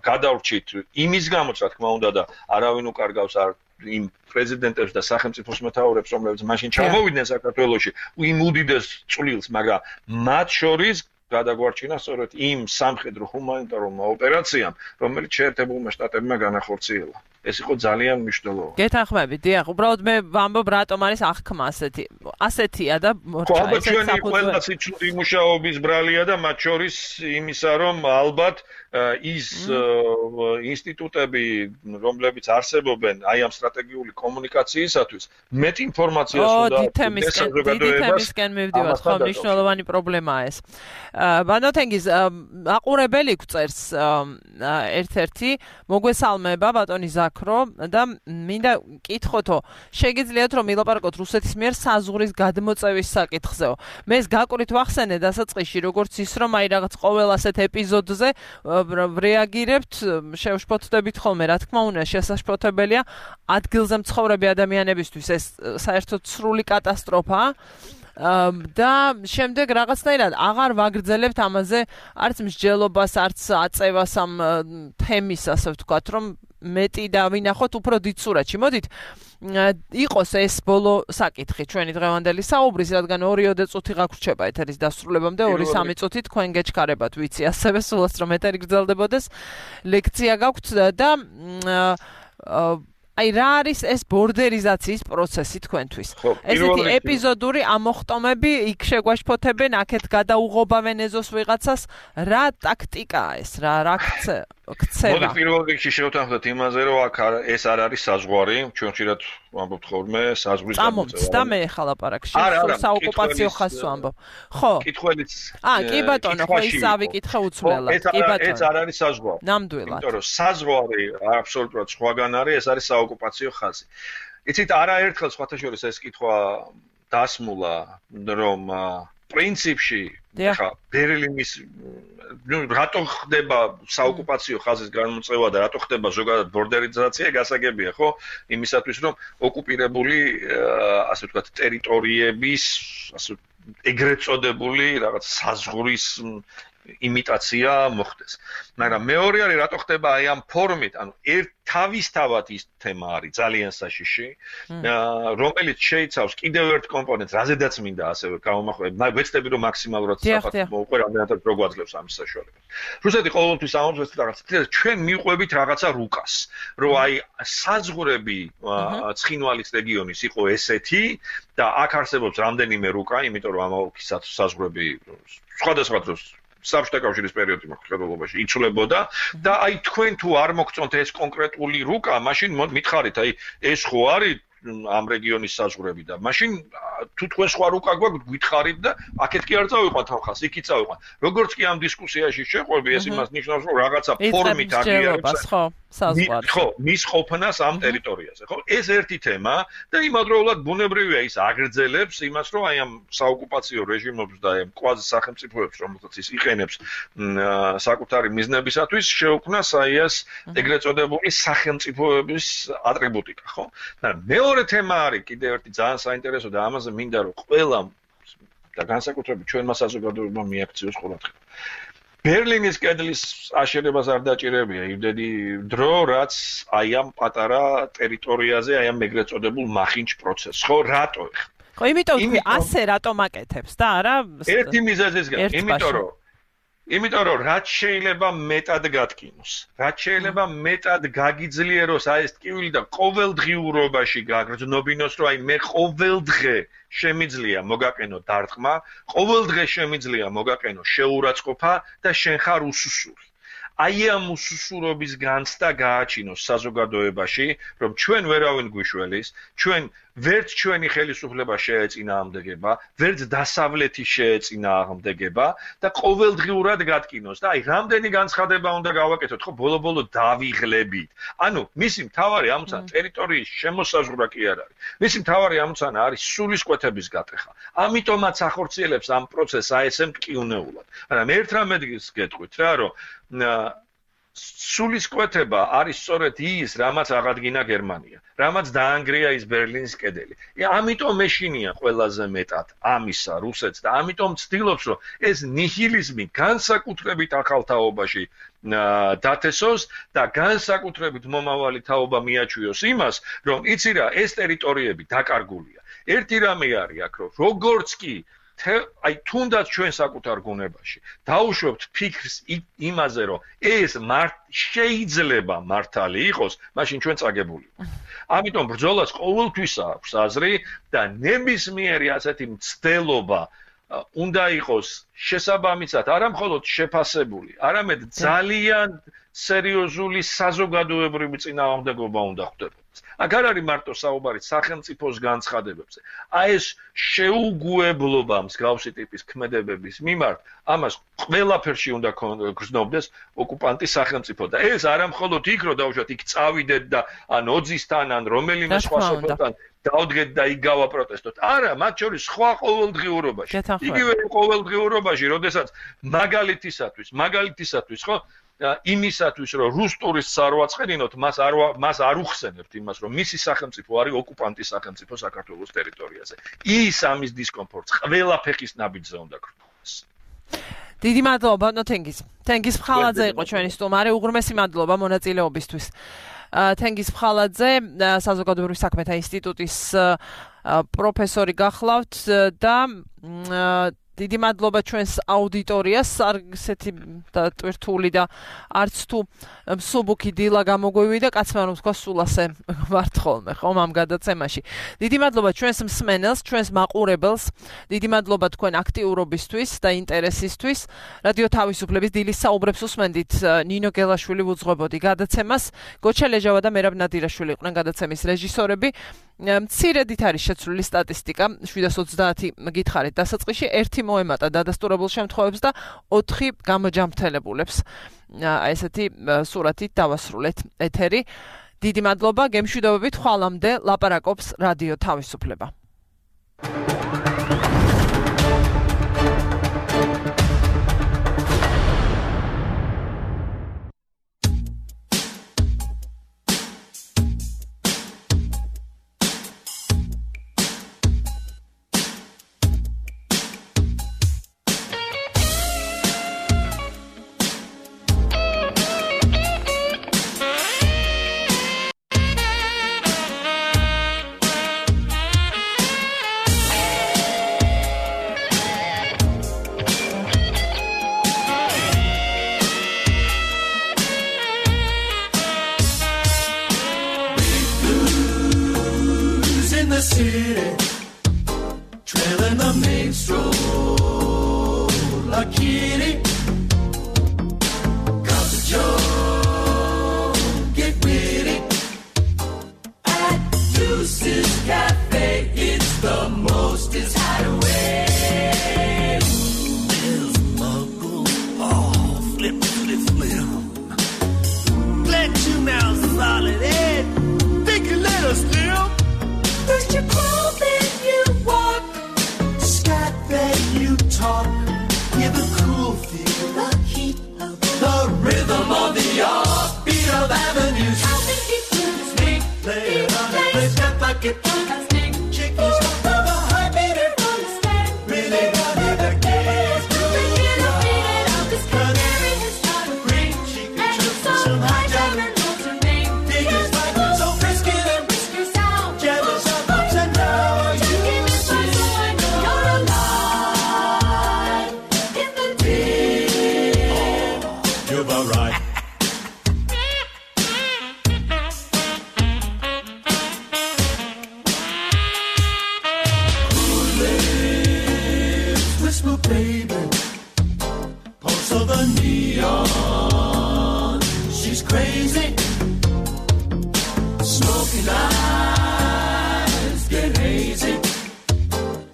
გადავრჩით იმის გამოც რა თქმა უნდა და არავინ უკარგავს არ იმ პრეზიდენტებს და სახელმწიფოს მეთაურებს, რომლებიც მაშინ ჩამოვიდნენ საქართველოში, იმ უდიდეს წვლილს, მაგრამ მათ შორის გადაგვარჩინა სწორედ იმ სამხედრო ჰუმანიტარულმა ოპერაციამ, რომელიც შეერთებულმა შტატებმა განახორციელა. ეს იყო ძალიან მნიშვნელოვანი.
გეთანხმებით, დიახ, უბრალოდ მე ვამბობ, რატომ არის აღქმა ასეთია და
მორჩა ესეც საფუძველი. ყველას იცოდი მუშაობის ბრალია და მათ შორის იმისა, რომ ალბათ ის ინსტიტუტები, რომლებიც არსებობენ აი ამ სტრატეგიული კომუნიკაციისათვის, მეტ ინფორმაციას უნდა
დიდი თემისკენ მივდივართ, ხო, მნიშვნელოვანი პრობლემაა ეს. ბანოთენგის აყურებელი გვწერს ერთ-ერთი მოგვესალმება ბატონი ზაქრო და მინდა კითხოთო, შეგიძლიათ რომ ილაპარაკოთ რუსეთის მიერ საზღვრის გადმოწევის საკითხზეო. მე ეს გაკვირით ვახსენე დასაწყისში, როგორც ის რომ აი რაღაც ყოველ ასეთ ეპიზოდზე რეაგირებთ, შევშფოთდებით ხოლმე, რა თქმა უნდა, შესაშფოთებელია ადგილზე მცხოვრები ადამიანებისთვის ეს საერთოდ სრული კატასტროფაა. და შემდეგ რაღაცნაირად აღარ ვაგრძელებთ ამაზე არც მსჯელობას, არც აწევას ამ თემის, ასე ვთქვათ, რომ მეტი და ვინახოთ უფრო დიდ სურათში. მოდით იყოს ეს ბოლო საკითხი ჩვენი დღევანდელი საუბრის, რადგან 2-3 წუთი გაგვრჩება ეთერის დასრულებამდე, 2-3 წუთი თქვენ გეჩქარებათ, ვიცი, ასევე სულაც რომ ეთერი გრძელდებოდეს. ლექცია გაგვთ და აი რა არის ეს ბორდერიზაციის პროცესი თქვენთვის? ესეთი ეპიზოდური ამოხტომები იქ შეგვაშფოთებენ, აქეთ გადაუღობავენ ეზოს ვიღაცას, რა ტაქტიკაა ეს, რა ქცევა?
მოდი პირველ რიგში შევთანხმდეთ იმაზე, რომ აქ ეს არ არის საზღვარი, ჩვენ ხშირად ვამბობთ ხოლმე საზღვრის
გამოწევა. და მე ახლა ლაპარაკში საოკუპაციო ხაზს ვამბობ. ხო.
კითხველიც
კი ბატონო, ხო ის ავიკითხე უცვლელად. კი ბატონო.
ეს არ არის საზღვარი.
ნამდვილად.
იმიტომ რომ საზღვარი აბსოლუტურად სხვაგან არის, ეს არის საოკუპაციო ხაზი. იცით, არაერთხელ სხვათა შორის ეს კითხვა დასმულა, რომ პრინციპში ხა ბერლინის რატო ხდება საოკუპაციო ხაზის განმოწევა და რატო ხდება ზოგადად ბორდერიზაცია გასაგებია ხო იმისათვის რომ ოკუპირებული ასე ვთქვათ ტერიტორიების ასე ეგრეთ წოდებული რაღაც საზღვრის იმიტაცია მოხდეს. მაგრამ მეორე არის რატო ხდება აი ამ ფორმით, ანუ თავისთავად ის თემა არის ძალიან საშიში, რომელიც შეიცავს კიდევ ერთ კომპონენტს, რაზედაც მინდა ასევე გავამახვილებ. ვეცდები რომ მაქსიმალურად საფრთხე მოუყვე, რამდენადაც რო გვაძლევს ამის საშუალება. რუსეთი ყოველთვის ამბობს რაღაცა, ჩვენ მიყვებით რაღაცა რუკას, რომ აი საზღვრები ცხინვალის რეგიონის იყო ესეთი და აქ არსებობს რამდენიმე რუკა, იმიტომ რომ ამ ოლქის საზღვრები სხვადასხვა დროს საბჭოთა კავშირის პერიოდის მოხდებულობაში იცვლებოდა და აი თქვენ თუ არ მოგწონთ ეს კონკრეტული რუკა, მაშინ მითხარით, აი ეს ხო არის ამ რეგიონის საზღვრები და მაშინ თუ თქვენ სხვა რუკა გვაქვს, გითხარით და აქეთ კი არ წავიყვანთ ხალხს, იქით წავიყვანთ. როგორც კი ამ დისკუსიაში შეყვები, ეს იმას ნიშნავს, რომ რაღაცა ფორმით აღიარებს ხო, მის ყოფნას ამ ტერიტორიაზე, ხო? ეს ერთი თემა და იმავდროულად ბუნებრივია ის აგრძელებს იმას, რომ აი ამ საოკუპაციო რეჟიმებს და ამ კვაზი სახელმწიფოებს, რომელსაც ის იყენებს საკუთარი მიზნებისათვის, შეუქმნას აი ეს ეგრეთ წოდებული სახელმწიფოების ატრიბუტიკა, ხო? მეორე თემა არის კიდევ ერთი ძალიან საინტერესო და ამაზე მინდა რომ ყველამ და განსაკუთრებით ჩვენმა საზოგადოებამ მიაქციოს ყურადღება. ბერლინის კედლის აშენებას არ დაჭირებია იმდენი დრო, რაც აი ამ პატარა ტერიტორიაზე, აი ამ ეგრეთ წოდებულ მახინჯ პროცესს, ხო, რატო?
ხო, იმიტომ თქვი, ასე რატომ აკეთებს და არა
ერთი მიზეზისგან, იმიტომ რომ რაც შეიძლება მეტად გატკინოს, რაც შეიძლება მეტად გაგიძლიეროს აი ეს ტკივილი და ყოველდღიურობაში გაგრძნობინოს, რომ აი მე ყოველდღე შემიძლია მოგაყენო დარტყმა, ყოველდღე შემიძლია მოგაყენო შეურაცხყოფა და შენ ხარ უსუსური. აი ამ უსუსურობის განცდა გააჩინოს საზოგადოებაში, რომ ჩვენ ვერავინ გვიშველის, ჩვენ ვერც ჩვენი ხელისუფლება შეეწინააღმდეგება, ვერც დასავლეთი შეეწინააღმდეგება და ყოველდღიურად გატკინოს და აი რამდენი განცხადება უნდა გავაკეთოთ, ხო, ბოლო-ბოლო დავიღლებით. ანუ მისი მთავარი ამოცანა ტერიტორიის შემოსაზღვრა კი არ არის. მისი მთავარი ამოცანა არის სულისკვეთების გატეხა. ამიტომაც ახორციელებს ამ პროცესს აი ესე მტკივნეულად. მაგრამ ერთ რამეს გეტყვით რა, რომ სულისკვეთება არის სწორედ ის, რამაც აღადგინა გერმანია, რამაც დაანგრია ის ბერლინის კედელი. ამიტომ ეშინია ყველაზე მეტად ამისა რუსეთს და ამიტომ ცდილობს, რომ ეს ნიჰილიზმი განსაკუთრებით ახალ თაობაში დათესოს და განსაკუთრებით მომავალი თაობა მიაჩვიოს იმას, რომ იცი რა, ეს ტერიტორიები დაკარგულია. ერთი რამე არის აქ, რომ როგორც კი აი თუნდაც ჩვენ საკუთარ გუნებაში დაუშვებთ ფიქრს იმაზე, რომ ეს შეიძლება მართალი იყოს, მაშინ ჩვენ წაგებული ვართ. ამიტომ ბრძოლას ყოველთვის აქვს აზრი და ნებისმიერი ასეთი მცდელობა უნდა იყოს შესაბამისად არა მხოლოდ შეფასებული, არამედ ძალიან სერიოზული საზოგადოებრივი წინააღმდეგობა უნდა ხდებოდეს. აქ არ არის მარტო საუბარი სახელმწიფოს განცხადებებზე. აი ეს შეუგუებლობა მსგავსი ტიპის ქმედებების მიმართ, ამას ყველაფერში უნდა გრძნობდეს ოკუპანტის სახელმწიფო და ეს არა მხოლოდ იქ რომ დავუშვათ, იქ წავიდეთ და ან ოძისთან, ან რომელიმე სხვა სოფელთან დავდგეთ და იქ გავაპროტესტოთ. არა, მათ შორის სხვა ყოველდღიურობაში. იგივე ყოველდღიურობაში, როდესაც მაგალითისათვის, ხო? იმისათვის, რომ რუს ტურისტს არ ვაწყენინოთ, მას არ უხსენებთ იმას, რომ მისი სახელმწიფო არის ოკუპანტის სახელმწიფო საქართველოს ტერიტორიაზე. ის ამის დისკომფორტს ყველა ფეხის ნაბიჯზე უნდა გქონდეს.
დიდი მადლობა, თენგიზ ფხალაძე იყო ჩვენი სტუმარი, უღრმესი მადლობა მონაწილეობისთვის. თენგიზ ფხალაძე, საზოგადოებრივი საქმეთა ინსტიტუტის პროფესორი გახლავთ და დიდი მადლობა ჩვენს აუდიტორიას, ასეთი ტვირთული და არც თუ მსუბუქი დილა გამოგვივიდა და კაცმა რომ თქვა სულ ასე ვართ ხოლმე, ხომ ამ გადაცემაში. დიდი მადლობა ჩვენს მსმენელს, ჩვენს მაყურებელს, დიდი მადლობა თქვენ აქტიურობისთვის და ინტერესისთვის. რადიო თავისუფლების დილის საუბრებს უსმენდით, ნინო გელაშვილი უძღვებოდი გადაცემას, გოჩა ლეჟავა და მერაბ ნადირაშვილი იყვნენ გადაცემის რეჟისორები. მცირედით არის შეცვლილი სტატისტიკა, 730 გითხარით დასაწყისში, 1 მოემატა დადასტურებულ შემთხვევებს და 4 გამოჯამრთელებულებს. ესეთი სურათით დავასრულეთ ეთერი. დიდი მადლობა, გემშვიდობებით, ხვალამდე ლაპარაკობს რადიო თავისუფლება.
city, trailing the main stroll like kitty. Cup of Joe, get witty. At Deuce's Cafe, it's the most is hideaway. There's Muggle, oh, flip. Let you now solid head, think a little slim. First you crawl, then you walk. Scat, then you talk. Give a cool feel, the heat of the rhythm of the beat of avenues. How think you could speak? Play it on a place, got like it. Chickies up to the high meter. Really got it again. Thinking of beating up this canary has got a ring. She can trip for some high diamond. Baby, pulse of the neon, she's crazy. Smoking eyes get hazy.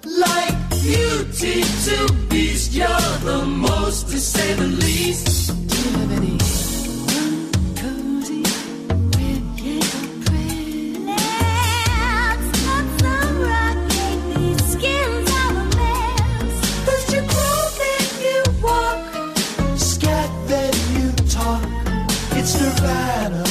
Like Beauty to Beast, you're the most, to say the least. Do you have any cozy with you pretty? Let's put some rock in these skins of a mess. First you crawl, then you walk. Scat, then you talk. It's Nirvana.